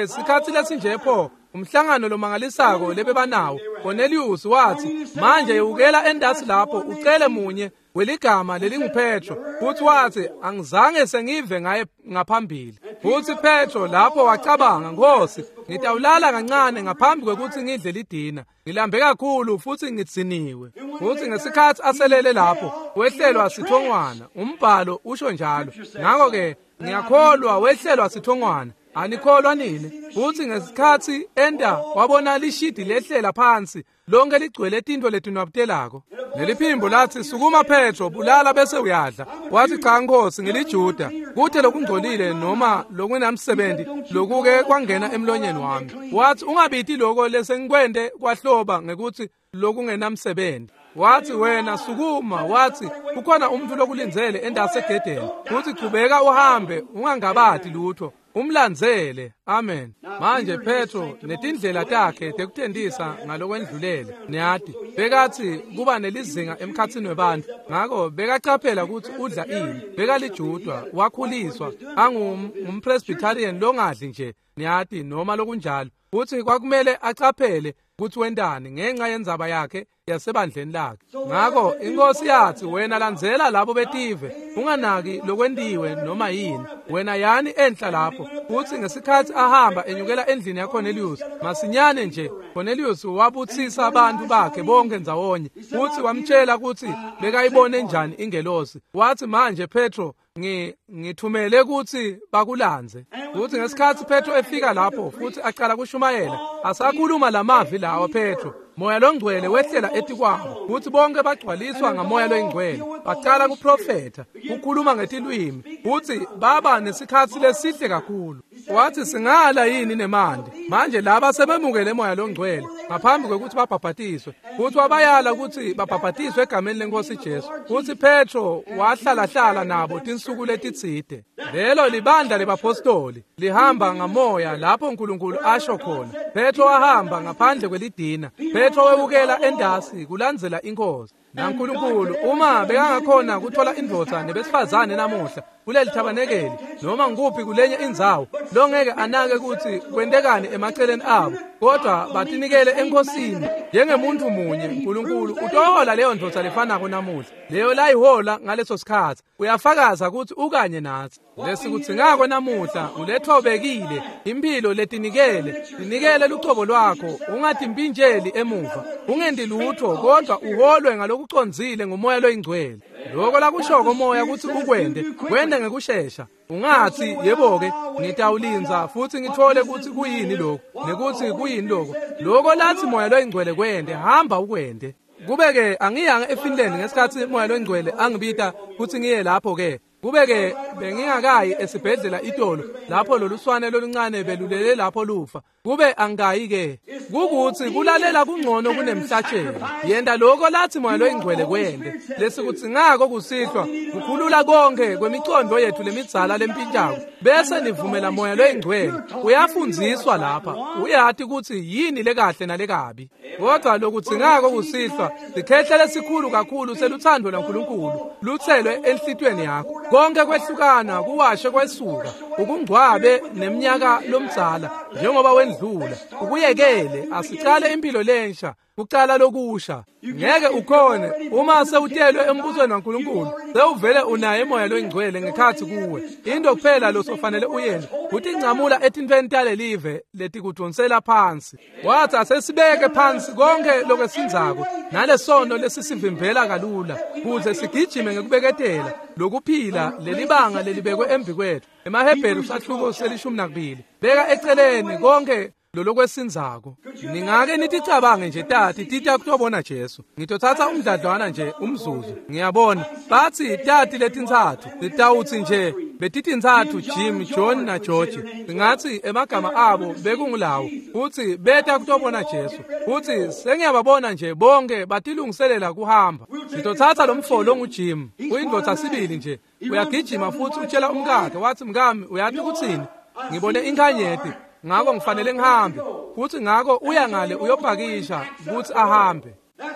Sikhatsi lesinje pho umhlangano lomangalisako lebebanawo. Cornelius wathi, manje yewukela endasi lapho ucele munye weligama lelinguPetro. Futhi wathi, angizange sengive ngaye ngaphambili. Futhi Petro lapho wacabanga, Nkosi, ngitawulala kancane ngaphambi kwekuthi ngidle lidina. Ngilambe kakhulu futhi ngitsiniwe. Futhi ngesikhathi aselele lapho, wehlelwa sithongwana. Umbhalo usho njalo. Ngakho-ke ngiyakholwa wehlelwa sithongwana. Anikholwa nini? Futhi ngesikhathi enda wabona lishidi lehlela phansi lonke ligcwele tintfo letinwabutelako. Leliphimbo lathi, sukuma Petro, bulala bese uyadla. Wathi, cha Nkosi, ngiliJuda, kute lokungcolile noma lokunamsebenzi lokuke kwangena emlonyeni wami. Wathi, ungabiti lokho lesengikwente kwahloba ngekuthi lokungenamsebenzi. Wathi, wena sukuma. Wathi, kukhona umuntu lokulindzele endase egedeni. Futhi chubeka uhambe, ungangabati lutho, umlandzele. Amen. Manje Petro netindlela takhe tekutendisa ngalokwendlulele, niyati, bekathi kuba nelizinga emkhatsini webantu. Ngako bekacaphela ukuthi udla ini. Bekalijudwa, wakhuliswa angumpresbyterian longadli nje, niyati, noma lokunjalo. Futhi kwakumele acaphele ukuthi wentani ngenxa yendzaba yakhe yasebandleni lakhe. Ngako inkosi yathi, wena landzela labo betive, unganaki lokwentiwe noma yini. Wena yani enhla lapho. Futhi ngesikhathi ahamba enyukela endlini yaCornelius, masinyane nje Cornelius wabutsisa abantu bakhe bonke ndzawonye. Futhi wamtshela ukuthi bekayibone njani ingelosi. Wathi, manje Petro, ngithumele ukuthi bakulandze. Futhi ngesikhathi Petro efika lapho futhi aqala kushumayela, asakhuluma lamavi lawa Petro, Moya longcwele wehlela etikwabo. Futhi bonke bagcwaliswa ngamoya loyingcwele, baqala kuprofetha, kukhuluma ngetilwimi. Futhi baba nesikhatsi lesihle kakhulu. Wathi, singala yini nemandi? Manje laba sebemukele moya longcwele ngaphambi kwekuthi babhabhatiswe. Futhi wabayala ukuthi babhabhatiswe egameni lenkosi Jesu. Futhi Petro wahlalahlala nabo tinsuku letitsite. Lelo libandla lebapostoli lihamba ngamoya lapho uNkulunkulu asho khona. Petro wahamba ngaphandle kwelidina. Petro wewukela endasi kulandzela inkosi. NaNkulunkulu uma bekangakhona kuthola indvodza nebesifazane namuhla kuleli thabanekeli noma ngikuphi kulenye indzawo longeke anake ukuthi kwentekani emaceleni abo, kodwa batinikele enkosini njengemuntu munye. uNkulunkulu utohola leyo ndvodza lefanako namuhla, leyo layihola ngaleso sikhatsi. Uyafakaza ukuthi ukanye nathi. Lesikudzingako namuhla ulethobekile, impilo letinikele, tinikele lucobo lwakho, ungatimpintsheli emuva, ungendi lutho, kodwa uholwe ngalokucondzile ngumoya loyingcwele. Lokho lakushoko moya ukuthi ukwende, kwende ngekushesha. Ungathi, yebo-ke, ngitawulindza futhi ngithole ukuthi kuyini lokhu nekuthi kuyini lokho. Lokho lathi moya loyingcwele kwende, hamba ukwende. Kube-ke angiyanga eFinland ngesikhathi moya loyingcwele angibita kuthi ngiye lapho-ke. Kube-ke bengingakayi esibhedlela itolo lapho loluswane loluncane belulele lapho lufa. Kube angikayi-ke. Kukuthi kulalela kungcono kunemhlatshelo. Yenta lokho lathi moya loyingcwele kwende. Lesikudzingako kusihlwa kukhulula konke kwemicondo yethu lemidzala lempintshako, bese nivumela moya loyingcwele. Uyafundziswa lapha, uyati ukuthi yini lekahle nalekabi. Kodwa lokudzingako kusihlwa sikhehle lesikhulu kakhulu seluthando lwaNkulunkulu luthelwe enhlitiyweni yakho. Konke kwehlukana kuwashe kwesuka, ukungcwabe neminyaka lomdzala njengoba wendlula, ukuyekele. Asicale impilo lensha, kucala lokusha. Ngeke ukhone uma sewutelwe embusweni waNkulunkulu, sewuvele unaye moya loyingcwele ngekhatsi kuwe. Into kuphela losofanele uyente kutincamula etintfweni talelive letikudvonsela phansi. Wathi, asesibeke phansi konke lokwesindzako nalesono lesisivimbela kalula, kuze sigijime ngekubeketela lokuphila lelibanga lelibekwe embi kwethu. EmaHebheru sahluko se-12. Beka eceleni konke lolokwesindzako. Ningake niticabange nje tati tita kutobona Jesu. Ngitothatha umdladlwana nje umzuzu. Ngiyabona bathi tati letintsatfu titawutsi nje betitintsatfu, Jim, John na George. Singatsi emagama abo bekungulawo. Futhi beta kutobona Jesu. Futhi sengiyababona nje bonke batilungiselela kuhamba. Sitothatha lo mfo longuJim, uyindvodza sibili nje. Uyagijima futhi utshela umkakhe, wathi, mkami, uyati kutsini? Ngibone inkhanyeti, ngako ngifanele ngihambe. Futhi ngako uya ngale uyopakisha kutsi ahambe.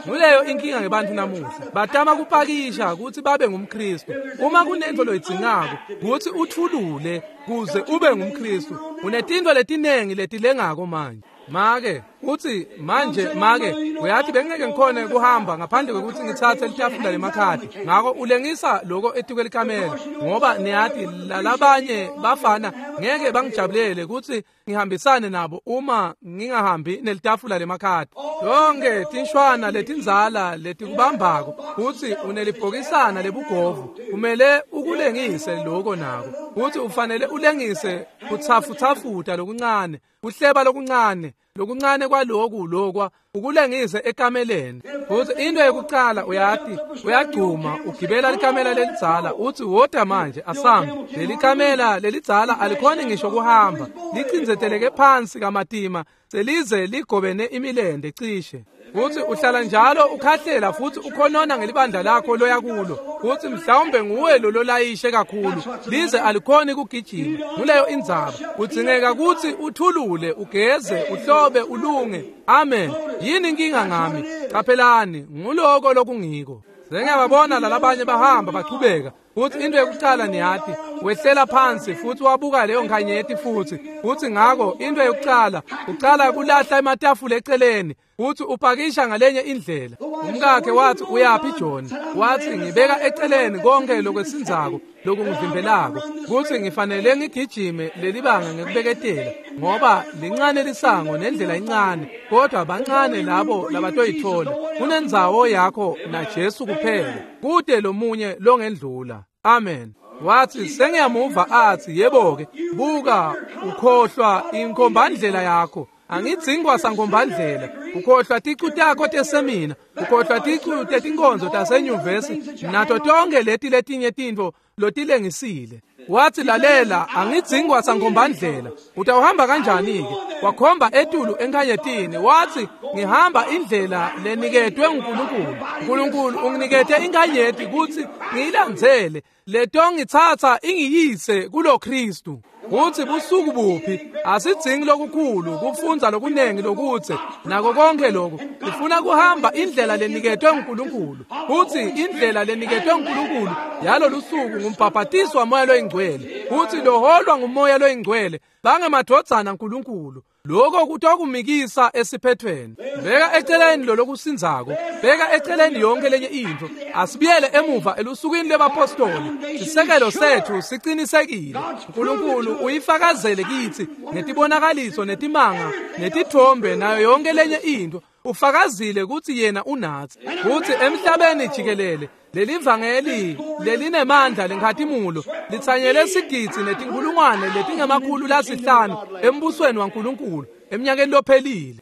Nguleyo inkinga ngebantfu namuhla. Batama kupakisha kutsi babe ngumKhristu. Uma kunentfo loyidzingako kutsi uthulule kuze ube ngumKhristu. Unetintfo letinengi letilengako manje. Make utsi manje make uyathi bengeke ngikhone kuhamba ngaphandle kwekutsi ngitsatse litafula lemakhadi. Ngako ulengisa loko etukwelikamela ngoba niyathi lalabanye bafana ngeke bangijabulele kutsi ngihambisane nabo uma ngingahambi nelitafula lemakhadi. Yonke tinshwana letindzala letikubambako kutsi unelibhokisana lebugovu kumele ukulengise loko nako. Kutsi ufanele ulengise kutsafutsafuta lokuncane, kuhleba lokuncane, lokuncane kwaloku lokwa ukulengise ekameleni. Futhi into yokuqala uyathi uyagcuma ugibela likamela lelidzala uthi woda manje asambe. Leli kamela lelidzala alikhoni ngisho kuhamba, licindzeteleke phansi kamatima selize ligobene imilende cishe. Futhi uhlala njalo ukhahlela futhi ukhonona ngelibandla lakho loya kulo. Futhi mhlawumbe nguwe lo lolayishe kakhulu lize alikhoni kugijima. Nguleyo indzaba. Kudzingeka kutsi uthulule, ugeze, uhlobe, ulunge. Amen. Yini inkinga ngami? Qaphelani, nguloko lokungiko. Sengiyababona lalabanye bahamba bachubeka. Futhi into yokuqala niyathi wehlela phansi futhi wabuka leyo nkhanyeti futhi. Futhi ngako into yokuqala uqala kulahla ematafula eceleni futhi upakisha ngalenye indlela. Umkakhe wathi uyaphi John? Wathi ngibeka eceleni konke lokwesinzako lokungivimbelako kuthi ngifanele ngigijime lelibanga ngekubeketela ngoba lincane lisango nendlela incane kodwa bancane labo labatoyithola. Kunendzawo yakho na Jesu kuphela, kude lomunye longendlula. Amen. Wathi sengiyamuva athi yebo-ke buka ukhohlwa inkombandlela yakho. Angidzingi sankombandlela. Ukhohlwa ticu takho tesemina, ukhohlwa ticu tetinkonzo tasenyuvesi nato tonke leti letinye tintfo lotilengisile. Wathi lalela, angidzingi sankombandlela. Utawuhamba kanjani-ke? Wakhomba etulu enkhanyetini wathi ngihamba indlela leniketwe nguNkulunkulu. uNkulunkulu unginikete inkhanyeti kutsi ngiyilandzele, letongitsatsa ingiyise kulo Kristu. Kuthi busuku buphi? Asidzingi lokukhulu, kufundza lokunengi lokutse nako konke lokhu. Sifuna kuhamba indlela leniketwe nguNkulunkulu. Kuthi indlela leniketwe nguNkulunkulu yalolu suku ngumbhabhatiso waMoya loyiNgcwele. Kuthi loholwa nguMoya loyiNgcwele bangemadvodzana aNkulunkulu. Lokho kutokumikisa esiphethweni. Beka eceleni lolokusindzako, beka eceleni yonke lenye intfo. Asibuyele emuva elusukwini lwebapostoli. Sisekelo sethu sicinisekile. uNkulunkulu uyifakazele kitsi ngetibonakaliso netimanga netithombe nayo yonke lenye intfo. Ufakazile kutsi yena unatsi. Kutsi emhlabeni jikelele lelivangeli lelinemandla lenkhatimulo litsanyele sigidzi netinkhulungwane letingama-500 embusweni waNkulunkulu eminyakeni lophelile.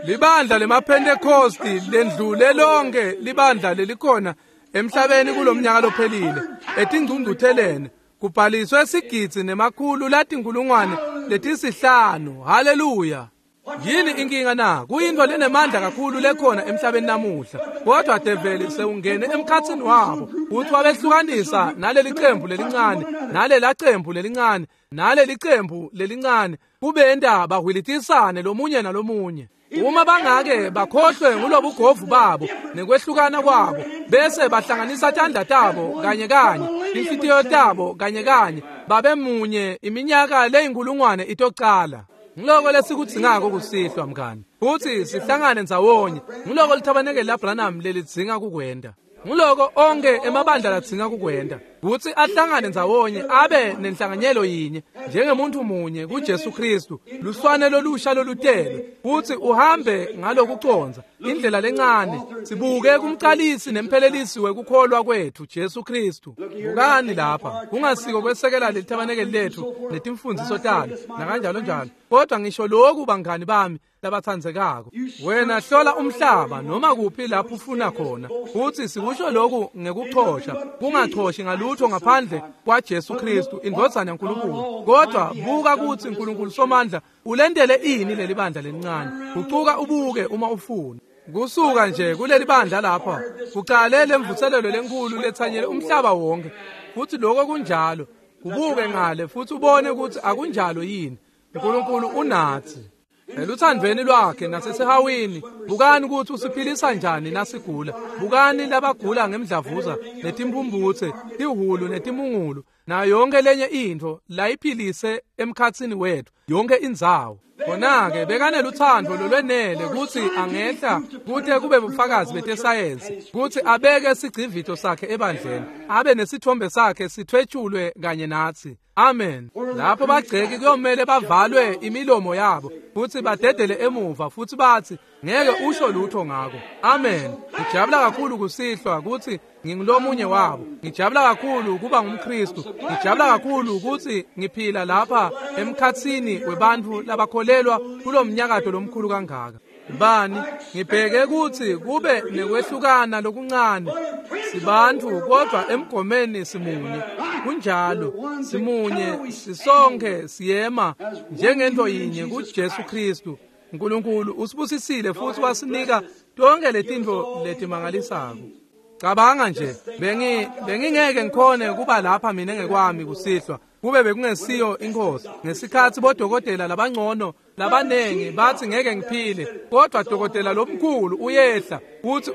Libandla lemaPhentekosti lendlule lonke libandla lelikhona emhlabeni kulomnyaka lophelile etingcungcutheleni kubhaliswe sigidzi 500,500. Haleluya. Yini inkinga na? Kuyintfo lenemandla kakhulu lekhona emhlabeni namuhla. Kodwa develi sewungene emkhatsini wabo futhi wabehlukanisa naleli cembu lelincane, nalela cembu lelincane, naleli cembu lelincane, kubenta bahwilitisane lomunye nalomunye. Uma bangake bakhohlwe ngulobugovu babo nekwehlukana kwabo bese bahlanganisa tandla tabo kanye kanye, inhlitiyo tabo kanye kanye, babe munye iminyaka leyinkulungwane itocala. Ngiloko lesikudzingako kusihlwa mngani, futhi sihlangane ndzawonye. Ngiloko lithabanekeli laBranham lelidzinga kukwenta. Ngiloko onke emabandla ladzinga kukwenta, kutsi ahlangane ndzawonye abe nenhlanganyelo yinye njengemuntu munye kuJesu Kristu, luswane lolusha lolutelwe, kutsi uhambe ngalokucondza indlela lencane, sibuke kumcalisi nemphelelisi wekukholwa kwethu Jesu Kristu. Bukani lapha, kungasiko kwesekela lelithabanekeli lethu netimfundziso talo nakanjalo njalo, kodwa ngisho lokhu bangani bami labatsandzekako. Wena hlola umhlaba noma kuphi lapho ufuna khona, futhi sikusho lokhu ngekuchosha, kungachoshi ngalutho ngaphandle kwaJesu Kristu indvodzana yaNkulunkulu. Kodwa buka kutsi uNkulunkulu Somandla ulentele ini leli bandla lelincane. Gucuka ubuke uma ufuna. Kusuka nje kuleli bandla lapha kucale lemvuselelo lenkulu letsanyele umhlaba wonke, futhi lokho kunjalo. Kubuke ngale futhi ubone ukuthi akunjalo yini. uNkulunkulu unatsi. Eluthandweni lwakhe nasesihawini, bukani ukuthi usiphilisa njani nasigula. Bukani labagula ngemdlavuza netimphumphutse, tihhulu netimungulu, nayo yonke lenye intfo layiphilise emkhatsini wethu, yonke indzawo. Khona-ke bekaneluthando lolwenele kutsi angehla kute kube bufakazi betesayensi kutsi abeke sigcivito sakhe ebandleni, abe nesithombe sakhe sithwetshulwe kanye natsi. Amen. Lapho bagceki kuyomele bavalwe imilomo yabo futsi badedele emuva futsi batsi ngeke usho lutho ngako. Amen. Ngijabula kakhulu kusihlwa kutsi ngingulomunye wabo. Ngijabula kakhulu kuba ngumKhristu. Ngijabula kakhulu kutsi ngiphila lapha emkhatsini webantfu labakholelwa kulomnyakato lomkhulu kangaka. Bani, ngibheke kutsi kube nekwehlukana lokuncane. Sibantfu kodvwa emgomeni simunye. Kunjalo, simunye, sisonke siyema njengento yinye kuJesu Khristu. Nkulunkulu usibusisile futsi wasinika tonke letintfo letimangalisako. Cabanga nje, bengingeke ngikhone kuba lapha mina ngekwami kusihlwa kube bekungesiyo inkosi. Ngesikhatsi bodokotela labangcono labanengi bathi ngeke ngiphile, kodwa dokotela lomkhulu uyehla uthi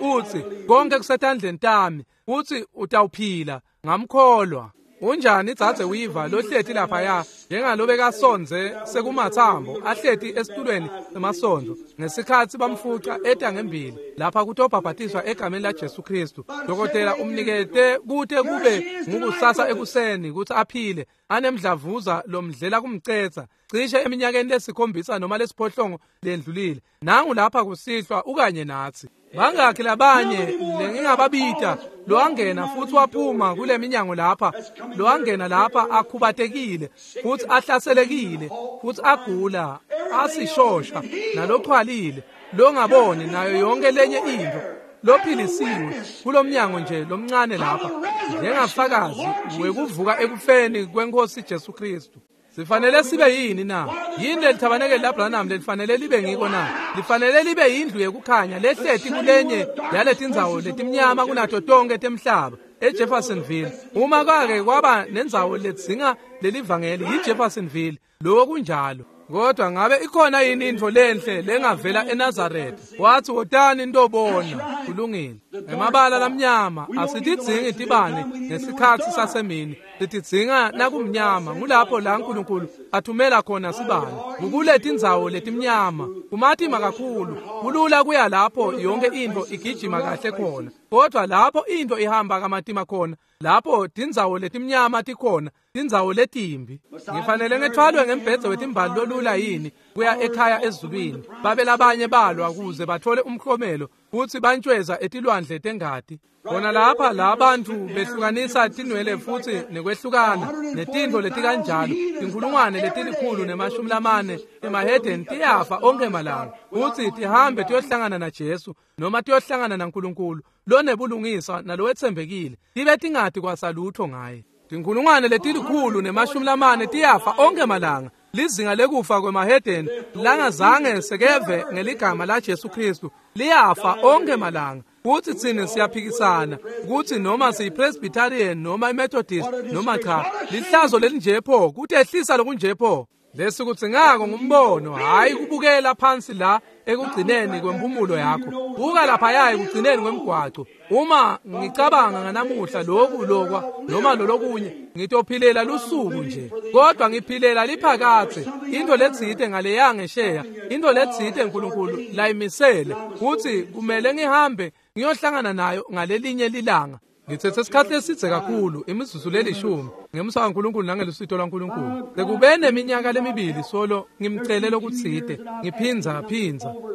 konke kusetandleni tami, uthi utawuphila. Ngamkholwa. Unjani dzadze Weaver lohleti laphaya njengalobekasondze sekumatsambo ahleti esitulweni semasondvo ngesikhatsi bamfuca eta ngembili lapha kutobhabhatiswa egameni laJesu Khristu. Dokotela umnikete kute kube ngukusasa ekuseni kutsi aphile, anemdlavuza lomdlela kumcetsa cishe eminyakeni lesikhombisa noma lesiphohlongo lendlulile. Nangu lapha kusihlwa ukanye natsi. Bangakhi labanye lengingababita lowangena futsi waphuma kule minyango lapha, lowangena lapha akhubatekile futsi ahlaselekile futsi agula asishosha nalochwalile longaboni nayo yonke lenye intfo, lophilisiwe kulomnyango nje lomncane lapha njengafakazi wekuvuka ekufeni kwenkosi Jesu Khristu. Sifanele sibe yini na? Yini lelithabanekeli laBranham lelifanele libe ngiko na? Lifanele libe yindlu yekukhanya lehleti kulenye yaletindzawo letimnyama kunato tonke temhlaba, eJeffersonville. Uma kwake kwaba nendzawo ledzinga lelivangeli yiJeffersonville, loko kunjalo. Kodwa ngabe ikhona yini intfo lenhle lengavela eNazaretha? Wathi wotani nitobona. Kulungile. Emabala lamnyama asitidzingi tibane ngesikhatsi sasemini, sitidzinga nakumnyama. Ngulapho la Nkulunkulu athumela khona sibane. Kukuletindzawo letimnyama kumatima kakhulu, kulula kuya lapho yonke intfo igijima kahle khona, kodwa lapho intfo ihamba kamatima khona, lapho tindzawo letimnyama tikhona, tindzawo letimbi. Ngifanele ngethwalwe ngembhedze wetimbali lolula yini kuya ekhaya ezulwini? Babe labanye balwa kuze bathole umklomelo futsi bantjweza etilwandle tengati. Khona lapha la bantfu behlukanisa tinwele futsi nekwehlukana netintfo letikanjalo, tinkhulungwane 140 emahedeni tiyafa onkhe malanga futsi tihambe tiyohlangana naJesu noma tiyohlangana naNkulunkulu lonebulungiswa nalowetsembekile, tibe tingati kwasalutho ngaye. Tinkhulungwane 140 tiyafa onkhe malanga. Lizinga lekufa kwemahedeni langazange sekeve ngeligama laJesu Khristu liyafa onkhe malanga. Kutsi tsine siyaphikisana kutsi noma siyiPresbyterian noma iMethodist noma cha, lihlazo lelinje pho, kutehlisa lokunje pho. Lesi kudzingako ngumbono, hhayi kubukela phansi la ekugcineni kwemphumulo yakho. Buka laphaya ekugcineni kwemgwaco. Uma ngicabanga nganamuhla loku lokwa noma lolokunye, ngitophilela lusuku nje, kodwa ngiphilela liphakadze. Into letsite ngaleya ngesheya, into letsite Nkulunkulu layimisele kutsi kumele ngihambe ngiyohlangana nayo ngalelinye lilanga. Ngithethe isikhathi lesidze kakhulu, imizuzu lelishumi, ngemusa kaNkulunkulu nangelusito lwaNkulunkulu. Sekube neminyaka lemibili solo ngimcele lokutsite, ngiphinza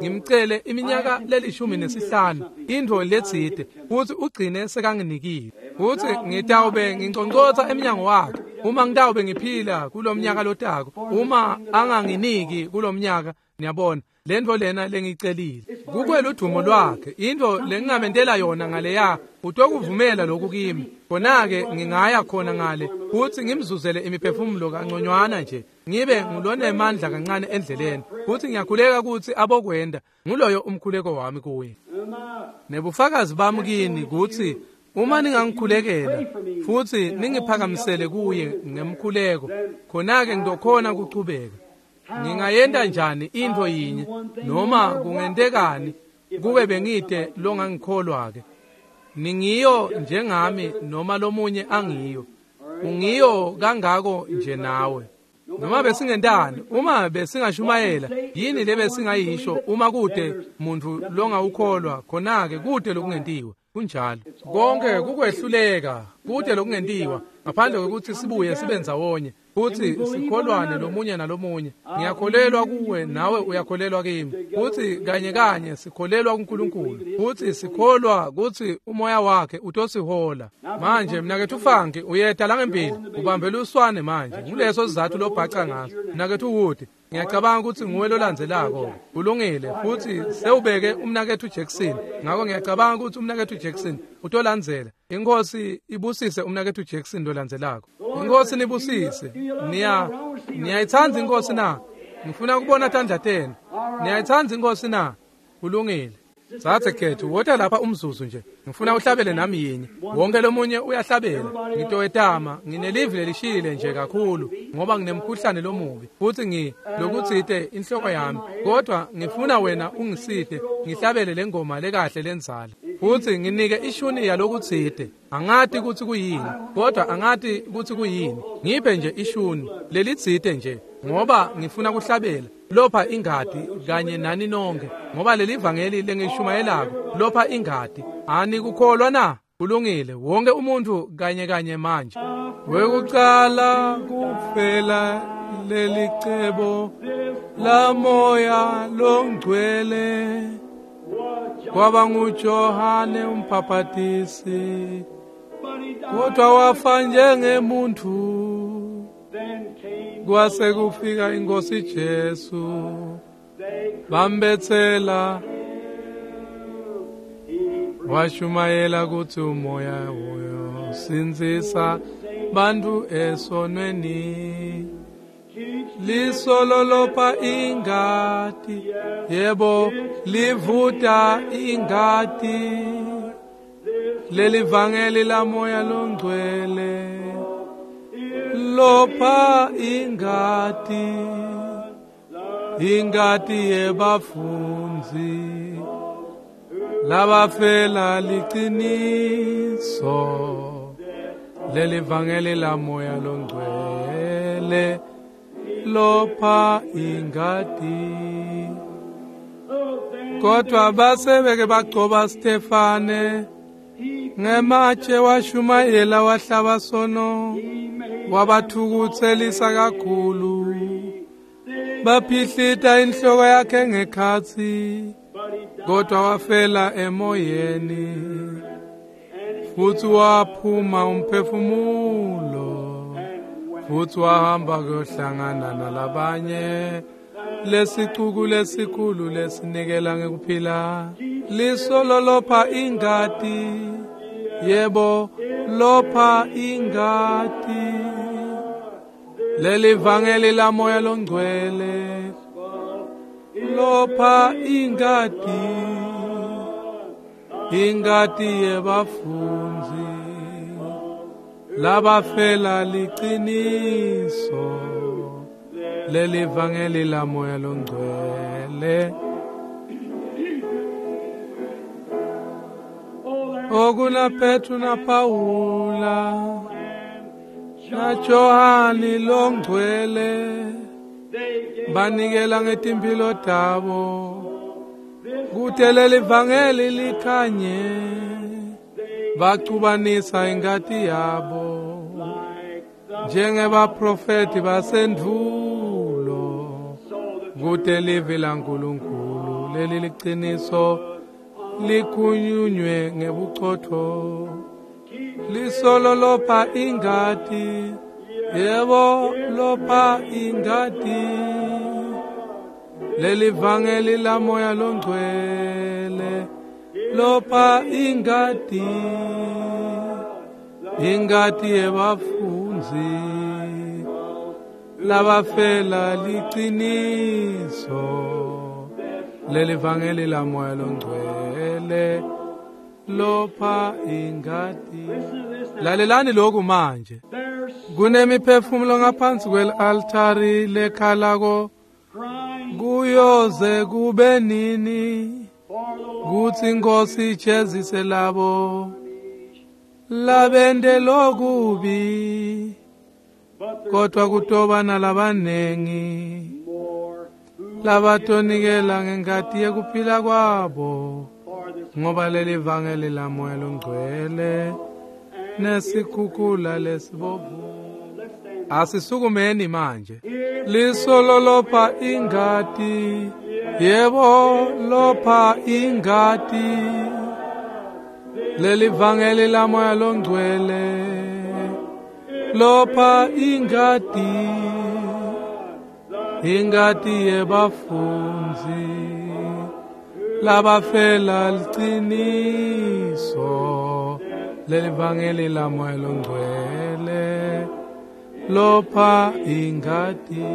ngimcele iminyaka 15 intfo letsite, futsi ugcine sekanginikile. Futsi ngitawube nginconcotsa emnyango wakhe uma ngitawube ngiphila kulomnyaka lotako, uma anganginiki kulomnyaka. Niyabona lentfo lena lengiyicelile kukweludumo lwakhe, intfo lengingamentela yona ngaleya utokuvumela lokhu kimi. Khona-ke ngingaya khona ngale futsi ngimzuzele imiphefumulo kanconywana nje, ngibe ngulonemandla kancane endleleni, futsi ngiyakhuleka kutsi abokwenda. Nguloyo umkhuleko wami kuye. Nebufakazi bami kini kutsi uma ningangikhulekela futsi ningiphakamisele kuye ngemkhuleko, khona-ke ngitokhona kuchubeka. Ngingayenta njani intfo yinye noma kungentekani kube bengite longangikholwa-ke? Ningiyo njengami noma lomunye angiyo. Ungiyo kangako nje nawe. Noma besingentani, uma besingashumayela, yini lebesingayisho uma kute muntfu longawukholwa, khona-ke kute lokungentiwa. Kunjalo. Konke kukwehluleka, kute lokungentiwa, ngaphandle kwekutsi sibuye sibe ndzawonye, futsi sikholwane lomunye nalomunye. Ngiyakholelwa kuwe, nawe uyakholelwa kimi. Futsi kanye kanye sikholelwa kuNkulunkulu, futsi sikholwa kutsi umoya wakhe utosihola. Manje mnaketfu Funky uyeta langembili, ubambele uswane manje. Nguleso sizatfu lobhaca ngaso. Mnaketfu Wood, ngiyacabanga kutsi nguwe lolandzelako. Kulungile, futsi sewubeke umnaketfu Jackson. Ngako ngiyacabanga kutsi umnaketfu Jackson utolandzela. Inkosi ibusise umnaketfu Jackson lolandzelako. Inkosi nibusise. Niyayitsandza inkosi na? Ngifuna kubona tandla tenu. Niyayitsandza inkosi na? Kulungile. Tsatse khethu, wota lapha umzuzu nje. Ngifuna uhlabele nami yinye. Wonke lomunye uyahlabela. Ngitowetama, nginelivi lelishile nje kakhulu ngoba nginemkhuhlane lomubi. Futsi lokutsite inhloko yami. Kodwa ngifuna wena ungisite ngihlabele lengoma lekahle lendzala. Futsi nginike ishuni yalokutsite. Angati kutsi kuyini, kodwa angati kutsi kuyini. Ngiphe nje ishuni lelitsite nje ngoba ngifuna kuhlabela. Lopha ingati kanye nani nonke, ngoba leli vangeli lengishumayelako lopha ingati. Anikukholwa na? Kulungile, wonke umuntu kanye kanye manje. Wekucala kufela lelicebo la moya longcwele kwaba nguJohane umbhaphatisi, kodwa wafa njengemuntu. Kwase kufika inkosi Jesu, bambethela, washumayela kutsi umoya uyosindzisa bantu esonweni. Lisolo lopha ingati, yebo livuta ingati, lelivangeli la moya longcwele lopha ingati, ingati yebafundzi labafela liciniso, lelivangeli la moya longcwele lopha ingati. Kodwa basebeke bagcoba Stefane ngematshe, washumayela wahlaba sono, wabathukutselisa kakhulu, baphihlita inhloko yakhe ngekhatsi, kodwa wafela emoyeni, futsi waphuma umphefumulo, futsi wahamba kuyohlangana nalabanye. Lesicuku lesikhulu lesinikela ngekuphila, lisolo lopha ingati, yebo lopha ingati, lelivangeli la moya longcwele lopha ingati, ingati yebafundzi labafela liciniso, lelivangeli la moya longcwele. Okuna Petru na Paula na Johani longcwele banikela ngetimphilo tabo kute lelivangeli likhanye, bacubanisa ingati yabo njengebaprofeti basendvulo, kute livi laNkulunkulu leli liciniso likhulunywe ngebucotfo. Lisolo lopha ingati, yebo lopha ingati, lelivangeli la moya longcwele lopha ingati, ingati yebafundzi labafela liciniso, lelivangeli la moya longcwele lopha ingati. Lalelani lokhu manje. Kunemiphefumulo ngaphansi kwel-altari lekhalako Kuyoze kube nini kutsi inkosi ijezise labo labente lokubi, kodwa kutoba nalabanengi labatonikela ngengati yekuphila kwabo, ngoba leli vangeli lamoya longcwele nesikhukhula lesibovu. Asisukumeni manje. Lisolo lopha ingati, yebo lopha ingati, leli vangeli lamoya longcwele lopha ingati, ingati yebafundzi labafela liciniso, leli vangeli lamoya longcwele lopha ingati.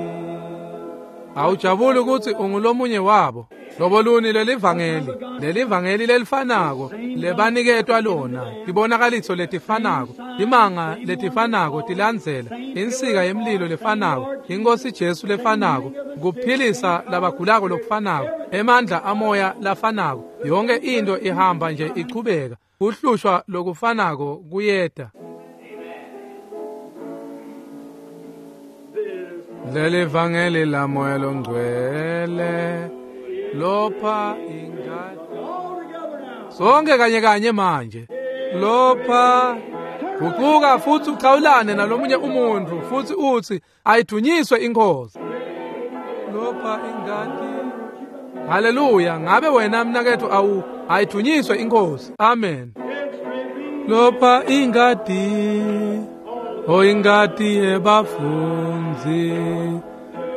Awujabuli ukuthi ungulomunye wabo? Loboluni leli vangeli, leli vangeli lelifanako lebaniketwa lona, tibonakaliso letifanako, timanga letifanako tilandzela, insika yemlilo lefanako, inkosi Jesu lefanako, kuphilisa labagulako lokufanako, emandla amoya lafanako, yonke into ihamba nje ichubeka, kuhlushwa lokufanako kuyeta. Leli vangeli lamoya longcwele lopha ingati. Sonke kanye kanye manje. Lopha guquka futhi uchawulane nalomunye umuntu futhi uthi ayithunyiswe inkosi. Lopha ingati. Haleluya, ngabe wena mnakethu awu ayithunyiswe inkosi. Amen. Lopha ingati, o ingati yebafundzi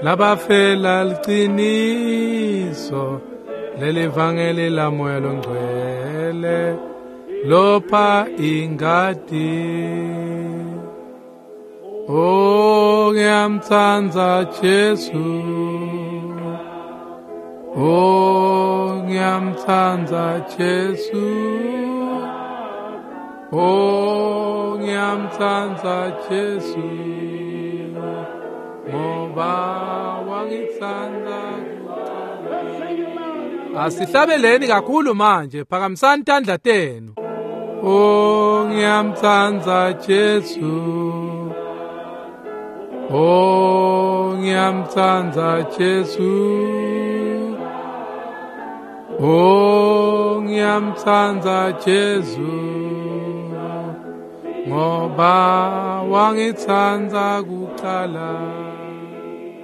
labafela liciniso, leli vangeli lamoya longcwele lopha ingati. Oh, ngiyamtsandza Jesu, oh ngiyamtsandza Jesu, oh ngiyamtsandza Jesu, ngoba wangitsandza kuqala. Asihlabeleni kakhulu manje, phakamisani tandla tenu. Oh ngiyamtsandza Jesu, oh ngiyamtsandza Jesu, oh ngiyamtsandza Jesu, ngoba wangitsandza kuqala.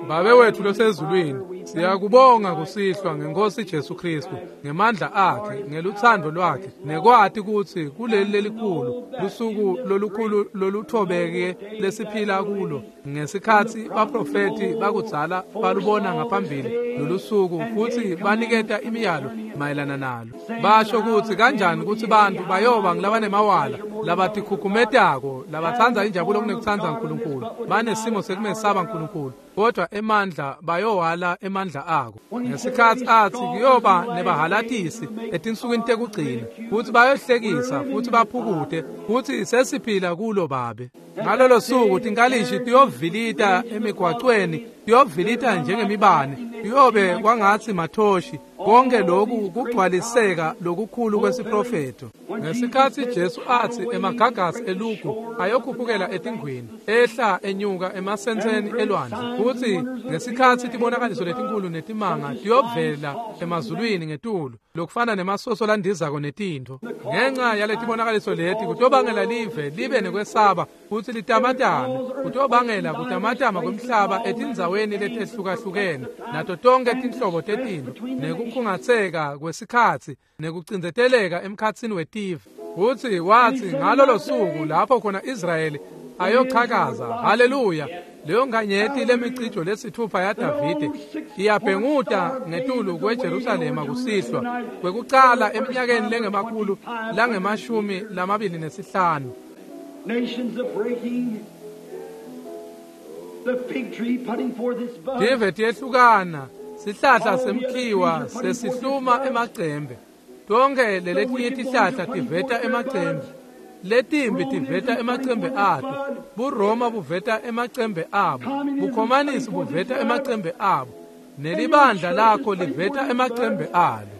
Babe wethu losezulwini, siyakubonga kusihlwa ngenkosi Jesu Kristu, ngemandla akhe, ngeluthando lwakhe, nekwati kutsi kuleli lelikhulu lusuku lolukhulu loluthobeke lesiphila kulo, ngesikhatsi baprofeti bakudzala balubona ngaphambili lolusuku futhi baniketa imiyalo mayelana nalo. Basho kutsi kanjani kutsi bantu bayoba ngulabanemawala, labatikhukhumetako, labatsandza injabulo kunekutsandza uNkulunkulu, banesimo sekumesaba uNkulunkulu, kodwa emandla bayowala emandla ako. Ngesikhatsi atsi kuyoba nebahalatisi etinsukwini tekugcina, futhi bayohlekisa futhi baphukute, futhi sesiphila kulo Babe. Ngalolo suku tinkalishi tiyovilita emigwacweni, tiyovilita njengemibane, kuyobe kwangatsi mathoshi. Konke lokhu kugcwaliseka lokukhulu kwesiprofetho. Ngesikhatsi Jesu atsi emagagasi elugu ayokhuphukela etingwini, ehla enyuka emasentseni elwandle, futhi ngesikhatsi tibonakaliso letinkulu netimanga tiyovela emazulwini ngetulu, lokufana nemasoso landizako netintfo. Ngenxa yaletibonakaliso leti kutobangela live libe nekwesaba futhi litamatame, kutobangela kutamatama kwemhlaba etindzaweni letehlukahlukene nato tonke tinhlobo tetintfo, nekukhungatseka kwesikhatsi nekucindzeteleka emkhatsini wetive. Futhi wathi ngalolo suku lapho khona Israyeli ayochakaza, haleluya, leyo nkanyeti lemicijo lesithupha yaDavide iyabhenguta ngetulu kweJerusalema kusihlwa kwekucala eminyakeni lengemakhulu langemashumi lamabili nesihlanu.
Nations are breaking, the fig tree putting forth its buds.
Tive tiyehlukana, sihlahla semkhiwa sesihluma emacembe, tonke leletinye tihlahla tiveta emacembe, letimbi tiveta emacembe ato, buRoma buveta emacembe abo, bukhomanisi buveta emacembe abo, Nelibandla lakho liveta emacembe alo.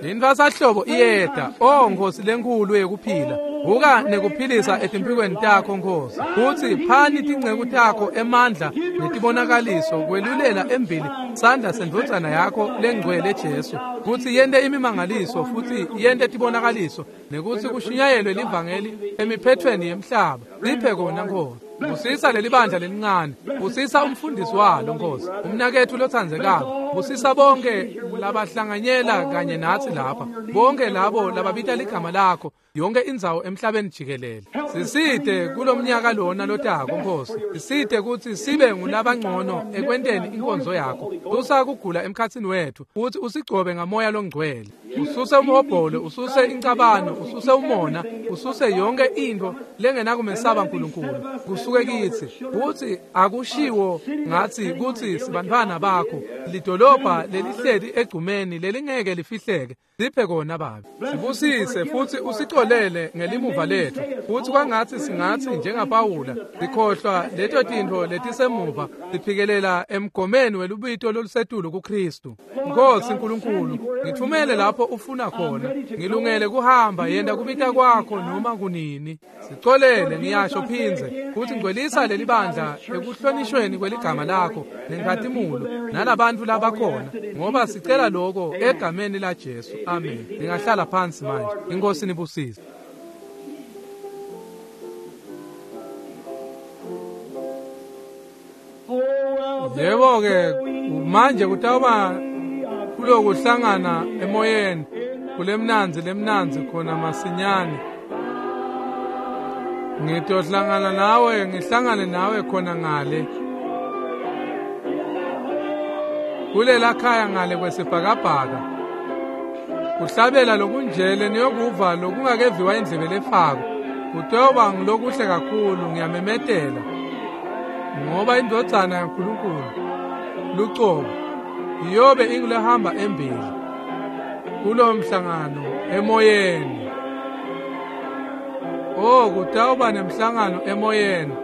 Intfwasahlobo iyeta, o Nkosi lenkulu yekuphila. Vuka nekuphilisa etimphikweni takho Nkosi. Futsi phani tinceku takho emandla netibonakaliso kwelulela embili sandla sendvodzana yakho lengcwele Jesu, kutsi yente imimangaliso futsi yente tibonakaliso, nekutsi kushunyayelwe livangeli emiphethweni yemhlaba. Siphe kona Nkosi. Busisa lelibandla lelincane, busisa umfundisi walo Nkosi, umnaketfu lotsandzekako, busisa bonke labahlanganyela kanye natsi lapha, bonke labo lababita ligama lakho yonke indzawo emhlabeni jikelele. Sisite kulomnyaka lona lotako Nkosi, sisite kutsi sibe ngulabangcono ekwenteni inkonzo yakho. Susa kugula emkhatsini wetfu futsi usigcobe ngamoya longcwele. Ususe umhobholo, ususe incabano, ususe umona, ususe yonke intfo lengenakumesaba Nkulunkulu kusuke kitsi. Kutsi akushiwo ngatsi kutsi sibantfwana bakho, lidolobha lelihleli egcumeni lelingeke lifihleke. Siphe kona Babe. Sibusise futsi usicolele ngelimuva letfu, futsi kwangatsi singatsi njengaPawula sikhohlwa leto tintfo letisemuva, siphikelela emgomeni welubito lolusetulu kuKhristu. Nkosi Nkulunkulu, ngithumele lapho ufuna khona, ngilungele kuhamba, yenta kubita kwakho noma kunini. Sicolele, ngiyasho phindze, futsi ngcwelisa lelibandla ekuhlonishweni kweligama lakho nenkhatimulo nalabantfu labakhona, ngoba sicela lokho egameni la Jesu. Amen. Ningahlala phansi manje. Inkosi nibusise. Yebo-ke manje kutawuba kulokuhlangana emoyeni kulemnandzi lemnandzi khona masinyane. Ngitohlangana nawe, ngihlangane nawe khona ngale kulela khaya ngale kwesibhakabhaka. Kuhlabela lokunjele niyokuva lokungakeviwa indlebe lefako, kutoba ngilokuhle kakhulu. Ngiyamemetela, ngoba indvodzana yaNkulunkulu lucobo iyobe ingulehamba embili kulo mhlangano emoyeni. Oh, kutawuba nemhlangano emoyeni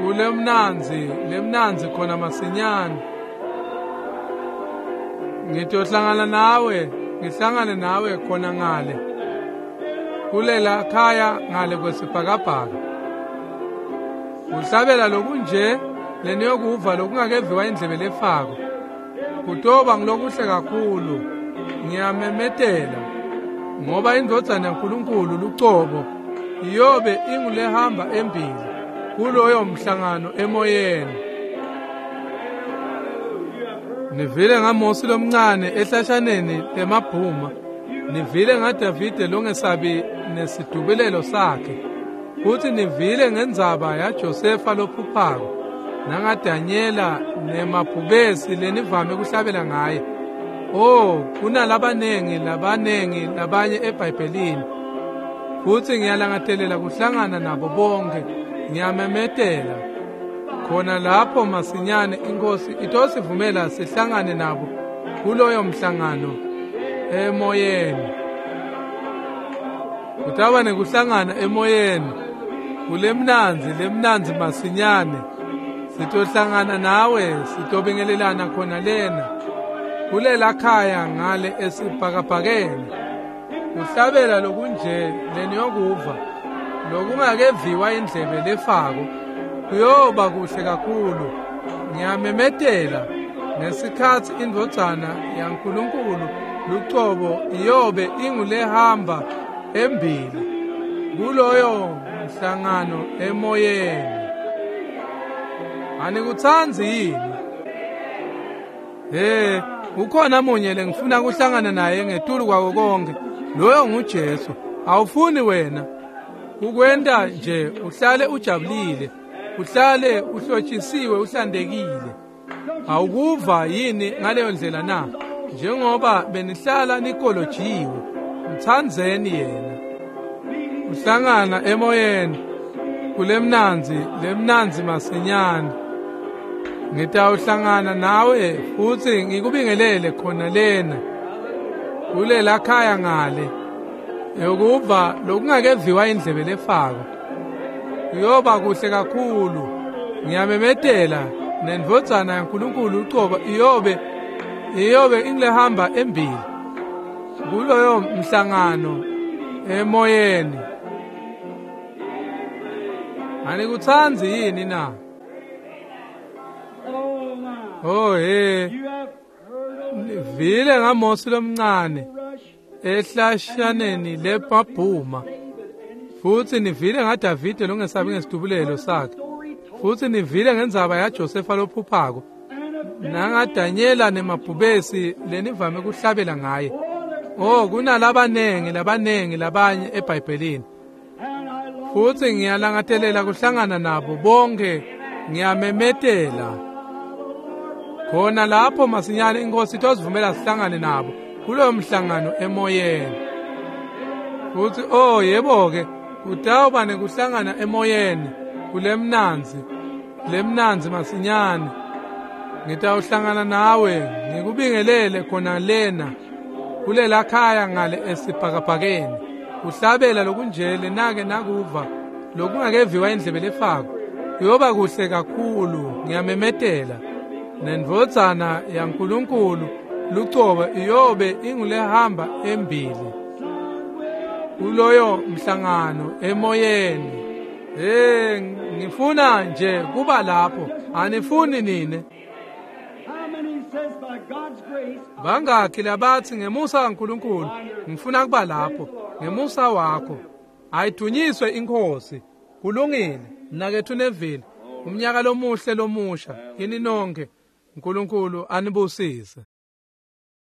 kulemnandzi lemnandzi khona masinyane. Ngitohlangana nawe, ngihlangane nawe khona ngale kulela khaya ngale kwesibhakabhaka. Kuhlabela lokunje leniyokuva lokungakeviwa indlebe lefako, kutoba ngilokuhle kakhulu. Ngiyamemetela, ngoba indvodzana yaNkulunkulu lucobo iyobe ingulehamba embili kuloyo mhlangano emoyeni. Nivile ngaMosi lomncane ehlashaneni lemabhuma, nivile ngaDavide longesabi nesidubulelo sakhe, futhi nivile ngendzaba yaJosefa lophuphako nangaDanyela nemabhubesi lenivame kuhlabela ngaye. Oh, kunalabanengi labanengi labanye eBhayibhelini, futhi ngiyalangatelela kuhlangana nabo bonke. Ngiyamemetela khona lapho masinyane inkosi itosivumela sihlangane nabo kuloyo mhlangano emoyeni. Kutawuba nekuhlangana emoyeni kulemnandzi lemnandzi masinyane. Sitohlangana nawe, sitobingelelana khona lena kulela khaya ngale esibhakabhakeni. Kuhlabela lokunje leniyokuva lokungakeviwa indlebe lefako kuyoba kuhle kakhulu. Ngiyamemetela ngesikhatsi indvodzana yaNkulunkulu lucobo iyobe ingulehamba embili kuloyo mhlangano emoyeni. Anikutsandzi yini? Hey, ukhona munye lengifuna kuhlangana naye ngetulu kwako konke, loyo nguJesu. Awufuni wena ukwenta nje uhlale ujabulile, uhlale uhlotshisiwe, uhlantekile? Awukuva yini ngaleyo ndlela na? Njengoba benihlala nikolojiwe, mtsandzeni yena. Uhlangana emoyeni kulemnandzi lemnandzi masinyane. Ngitawuhlangana nawe futsi ngikubingelele khona lena kulela khaya ngale yokuva lokungakeviwa indlebe lefako. Kuyoba kuhle kakhulu. Ngiyamemetela Nendvodzana yaNkulunkulu ucobo iyobe ingilehamba embili kuloyo mhlangano emoyeni. Anikutsanzi yini na? Oh he, nivile ngaMosi lomncane ehlashaneni lemabhuma, futsi nivile ngaDavide longesabi ngesidubulelo sakhe, futsi nivile ngendzaba yaJosefa lophuphako, nangaDanyela nemabhubesi lenivame kuhlabela ngaye. Oh, kunalabanengi labanengi labanye eBhayibhelini, futsi ngiyalangatelela kuhlangana nabo bonke. Ngiyamemetela khona lapho masinyane iNkhosi itosivumela sihlangane nabo kuloyo mhlangano emoyeni. Futsi oh yebo-ke, kutawuba nekuhlangana emoyeni kulemnandzi lemnandzi masinyane. Ngitawuhlangana nawe ngikubingelele khona lena kulela khaya ngale esibhakabhakeni. Kuhlabela lokunjele nake nakuva lokungakeviwa indlebe lefako kuyoba kuhle kakhulu. Ngiyamemetela nendvodzana yaNkulunkulu lucobo iyobe ingulehamba embili kuloyo mhlangano emoyeni. Hey, ngifuna nje kuba lapho. Anifuni nine? Bangakhi labathi ngemusa kaNkulunkulu ngifuna kuba lapho ngemusa wakho? Ayidunyiswe iNkhosi. Kulungile mnaketfu Neville, umnyaka lomuhle lomusha kini nonke. uNkulunkulu anibusise.